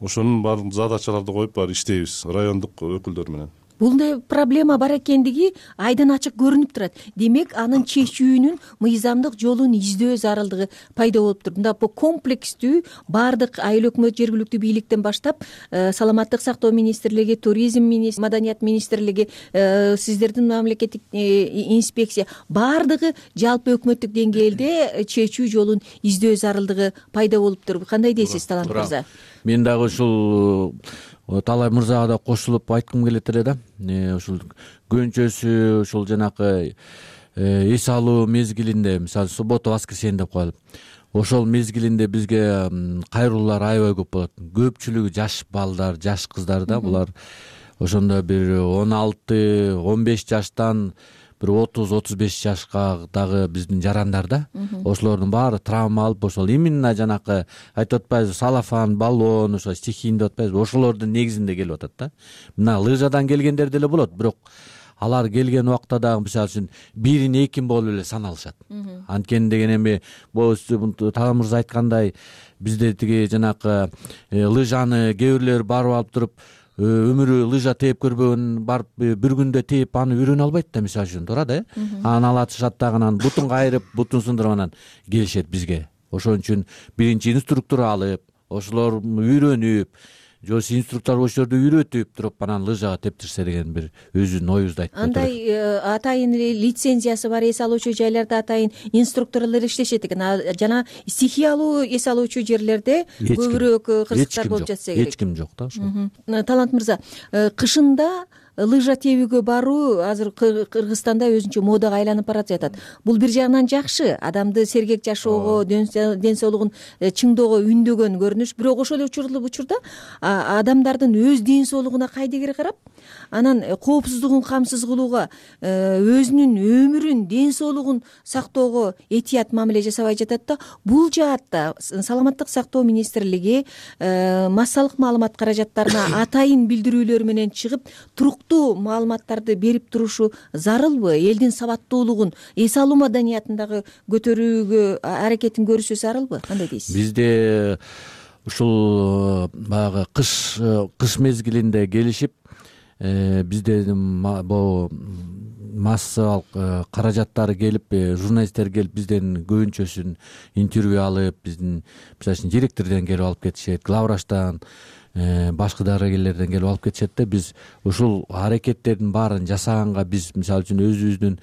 Ошонун баарын задачаларды коюп бар иштейбиз райондук өкүлдөр менен. Булдай проблема бар экендиги айдан ачык көрүнүп турат. Демек, анын чечүүнүн мыйзамдык жолун издөө зарылдыгы пайда болуптур. Мында бул комплекстүү баардык айыл өкмөт, жергиликтүү бийликтен баштап, саламаттык сактоо министрлиги, туризм министрлиги, маданият министрлиги, сиздердин мамлекеттик инспекция, баардыгы жалпы өкмөттүк деңгээлде чечүү жолун издөө зарылдыгы пайда болуптур. Кандай дейсиз, Талант мырза? Мен дагы ушул Таалай мырзага да кошулуп айткым келет эле да. Ушул көнчөсү, ушул жанакы эс алуу мезгилинде, мисалы суббота воскресенье деп коелу. Ошол мезгилинде бизге кайрылуулар аябай көп болот. Көпчүлүгү жаш балдар, жаш кыздар да, булар ошондо бир он алты, он беш жаштан бир отуз, отуз беш жашка дагы биздин жарандар да. Ошолордун баары травма алып, ошол именно жанакы айтып атпайбызбы, салафан, баллон, ошо стихийный деп атпайбызбы, ошолордун негизинде келип атат да. Мына лыжадан келгендер деле болот, бирок алар келген убакта дагы мисалы үчүн бирин экин болуп эле саналышат. Анткени деген эми Таалай мырза айткандай, бизде тиги жанакы лыжаны кээ бирлер барып алып туруп өмүрү лыжа тээп көрбөгөн барып бир күндө тээп аны үйрөнө албайт да, мисалы үчүн туура да. Анан алатышат дагы, анан бутун кайрып, бутун сындырып анан келишет бизге. Ошон үчүн биринчи инструктор алып, ошолор үйрөнүп, же болбосо инструктор болчулорду үйрөтүп туруп анан лыжага тептирсе деген бир өзүнүн оюбузду айтып кетет. Андай атайын лицензиясы бар эс алуучу жайларда атайын инструкторлор иштешет экен. Жана стихиялуу эс алуучу жерлерде көбүрөөк кырсыктар болуп жатса керек. Эч ким жок да ошо. Талант мырза, кышында лыжа тебүүгө баруу азыр Кыргызстанда өзүнчө модага айланып барып жатат. Бул бир жагынан жакшы, адамды сергек жашоого, ден соолугун чыңдоого үндөгөн көрүнүш. Бирок ошол эле учурда адамдардын өз ден соолугуна кайдыгер карап, анан коопсуздугун камсыз кылууга, өзүнүн өмүрүн, ден соолугун сактоого этият мамиле жасабай жатат да. Бул жаатта саламаттык сактоо министрлиги массалык маалымат каражаттарына атайын билдирүүлөр менен чыгып, туруктуу маалыматтарды берип турушу зарылбы? Элдин сабаттуулугун, эс алуу маданиятын дагы көтөрүүгө аракетин көрүшү зарылбы? Кандай дейсиз? Бизде ушул баягы кыш кыш мезгилинде келишип, бизде могу массалык каражаттары келип, журналисттер келип бизден көбүнчөсүн интервью алып, биздин мисалы үчүн директордон келип алып кетишет, главврачтан, башка дарыгерлерден келип алып кетишет да. Биз ушул аракеттердин баарын жасаганга биз мисалы үчүн өзүбүздүн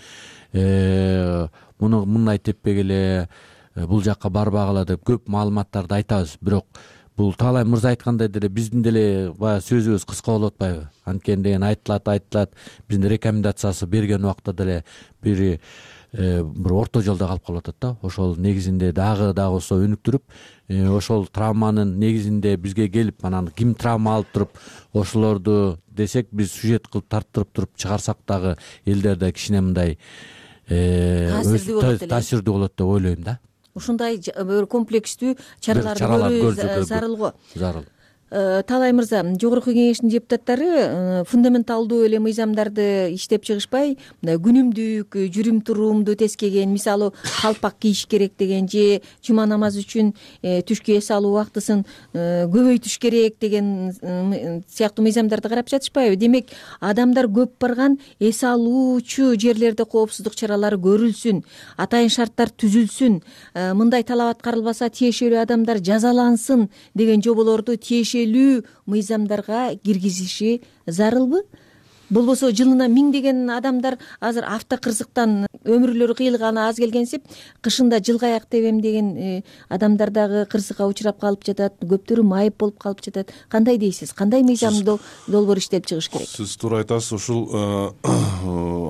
муну мындай теппегиле, бул жакка барбагыла деп көп маалыматтарды айтабыз. Бирок бул Таалай мырза айткандай деле биздин деле баягы сөзүбүз кыска болуп атпайбы? Анткени деген айтылат, айтылат. Биздин рекомендациясы берген убакта деле бир бир орто жолдо калып калып атат да. Ошол негизинде дагы дагы болсо өнүктүрүп, ошол травманын негизинде бизге келип, анан ким травма алып туруп ошолорду десек, биз сюжет кылып тарттырып туруп чыгарсак дагы элдерде кичине мындай таасирдүү болот деп ойлойм да. Ушундай комплекстүү чараларды көрүү зарыл го. Зарыл. Таалай мырза, жогорку кеңештин депутаттары фундаменталдуу эле мыйзамдарды иштеп чыгышпай, күнүмдүк жүрүм туруумду тескеген, мисалы калпак кийиш керек деген, же жума намазы үчүн түшкү эс алуу убактысын көбөйтүш керек деген сыяктуу мыйзамдарды карап жатышпайбы? Демек, адамдар көп барган эс алуучу жерлерде коопсуздук чаралары көрүлсүн, атайын шарттар түзүлсүн, мындай талап аткарылбаса тиешелүү адамдар жазалансын деген жоболорду тиешелүү мыйзамдарга киргизиши зарылбы? Болбосо жылына миңдеген адамдар азыр автокырсыктан өмүрлөрү кыйылганы аз келгенсип, кышында жылгаяк тебем деген адамдар дагы кырсыкка учурап калып жатат, көптөрү майып болуп калып жатат. Кандай дейсиз? Кандай мыйзам долбоор иштелип чыгыш керек? Сиз туура айтасыз. Ушул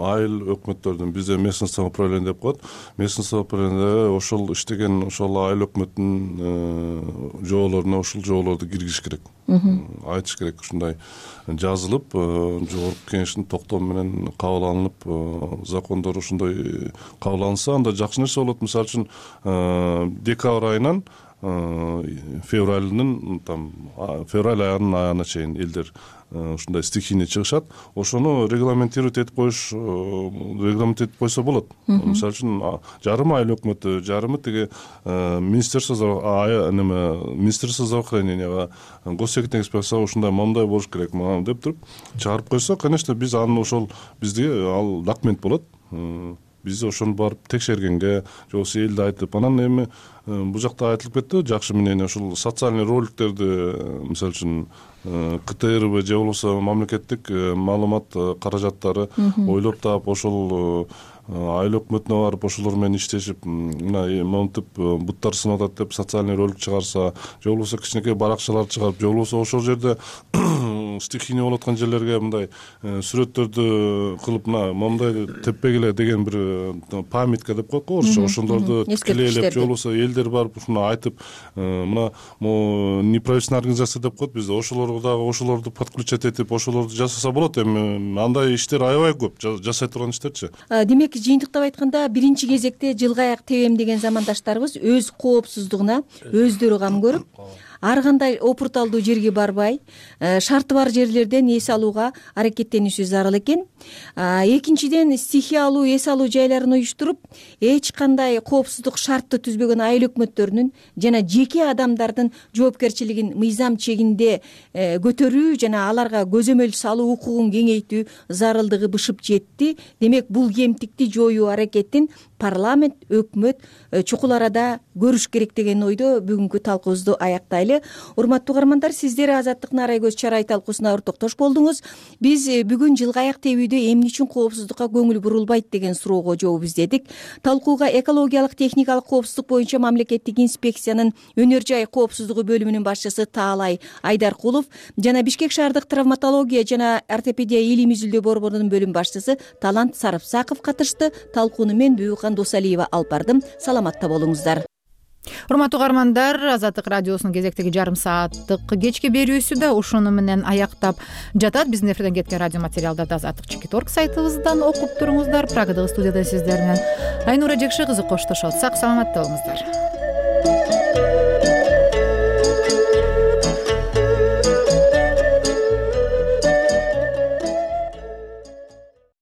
айыл өкмөттөрдүн, бизде местное самоуправление деп коет. Местное самоуправление ошол иштеген ошол айыл өкмөттүнүн жоболоруна ушул жоболорду киргизиш керек. Айтыш керек, ушундай жазылып, жогорку кеңештин токтому менен кабыл алынып, закондор ушундай кабыл алынса, анда жакшы нерсе болот. Мисалы үчүн декабрь айынан февралдын там февраль айынын аягына чейин элдер ушундай стихийный чыгышат. Ошону регламентировать этип коюш, регламент этип койсо болот. Мисалы үчүн жарым айыл өкмөтү, жарымы тиги министерство неме министерство здравоохраненияга, госсекретарь инспекцияга ушундай моундай болуш керек деп туруп чыгарып койсо, конечно, биз аны ошол бизде ал документ болот. Биз ошону барып текшергенге, же болбосо элди айтып, анан эми бул жакта айтылып кетти, жакшы мнение, ошол социальный роликтерди, мисалы үчүн КТРБ же болбосо мамлекеттик маалымат каражаттары ойлоп таап, ошол айыл өкмөтүнө барып ошолор менен иштешип, мына монтип буттар сынып атат деп социальный ролик чыгарса, же болбосо кичинекей баракчалар чыгарып, же болбосо ошол жерде стихийный болуп аткан жерлерге мындай сүрөттөрдү кылып, мына моундай теппегиле деген бир памятка деп коет го орусча, ошолорду тикелейлеп, же болбосо элдер барып ушуну айтып, мына могу неправительственный организация деп коет бизде, ошолорго дагы ошолорду подключать этип, ошолорду жасаса болот. Эми андай иштер аябай көп, жасай турган иштерчи. Демек, жыйынтыктап айтканда, биринчи кезекте жылгаяк тебем деген замандаштарыбыз өз коопсуздугуна өздөрү кам көрүп, ар кандай опурталдуу жерге барбай шарты бар жерлерден эс алууга аракеттениши зарыл экен. Экинчиден, стихиялуу эс алуу жайларын уюштуруп, эч кандай коопсуздук шартты түзбөгөн айыл өкмөттөрүнүн жана жеке адамдардын жоопкерчилигин мыйзам чегинде көтөрүү жана аларга көзөмөл салуу укугун кеңейтүү зарылдыгы бышып жетти. Демек, бул кемтикти жоюу аракетин парламент, өкмөт чукул арада көрүш керек деген ойдо бүгүнкү талкуубузду аяктайлы. Урматтуу угармандар, сиздер Азаттык Нарай көз чарай талкуусуна ортоктош болдуңуз. Биз бүгүн жылгы аяк тебүүдө эмне үчүн коопсуздукка көңүл бурулбайт деген суроого жооп издедик. Талкууга экологиялык техникалык коопсуздук боюнча мамлекеттик инспекциянын өнөр жай коопсуздугу бөлүмүнүн башчысы Таалай Айдаркулов жана Бишкек шаардык травматология жана ортопедия илим изилдөө борборунун бөлүм башчысы Талант Сарыпсаков катышты. Талкууну мен Бүкан Досалиева алып бардым. Саламатта болуңуздар. Урматтуу угармандар, Азаттык радиосунун кезектеги жарым сааттык кечки берүүсү да ушуну менен аяктап жатат. Биздин эфирден кеткен радио материалдарды азаттык чекит орг сайтыбыздан окуп туруңуздар. Прагадагы студияда сиздер менен Айнура Жекши кызы коштошот. Сак саламатта болуңуздар.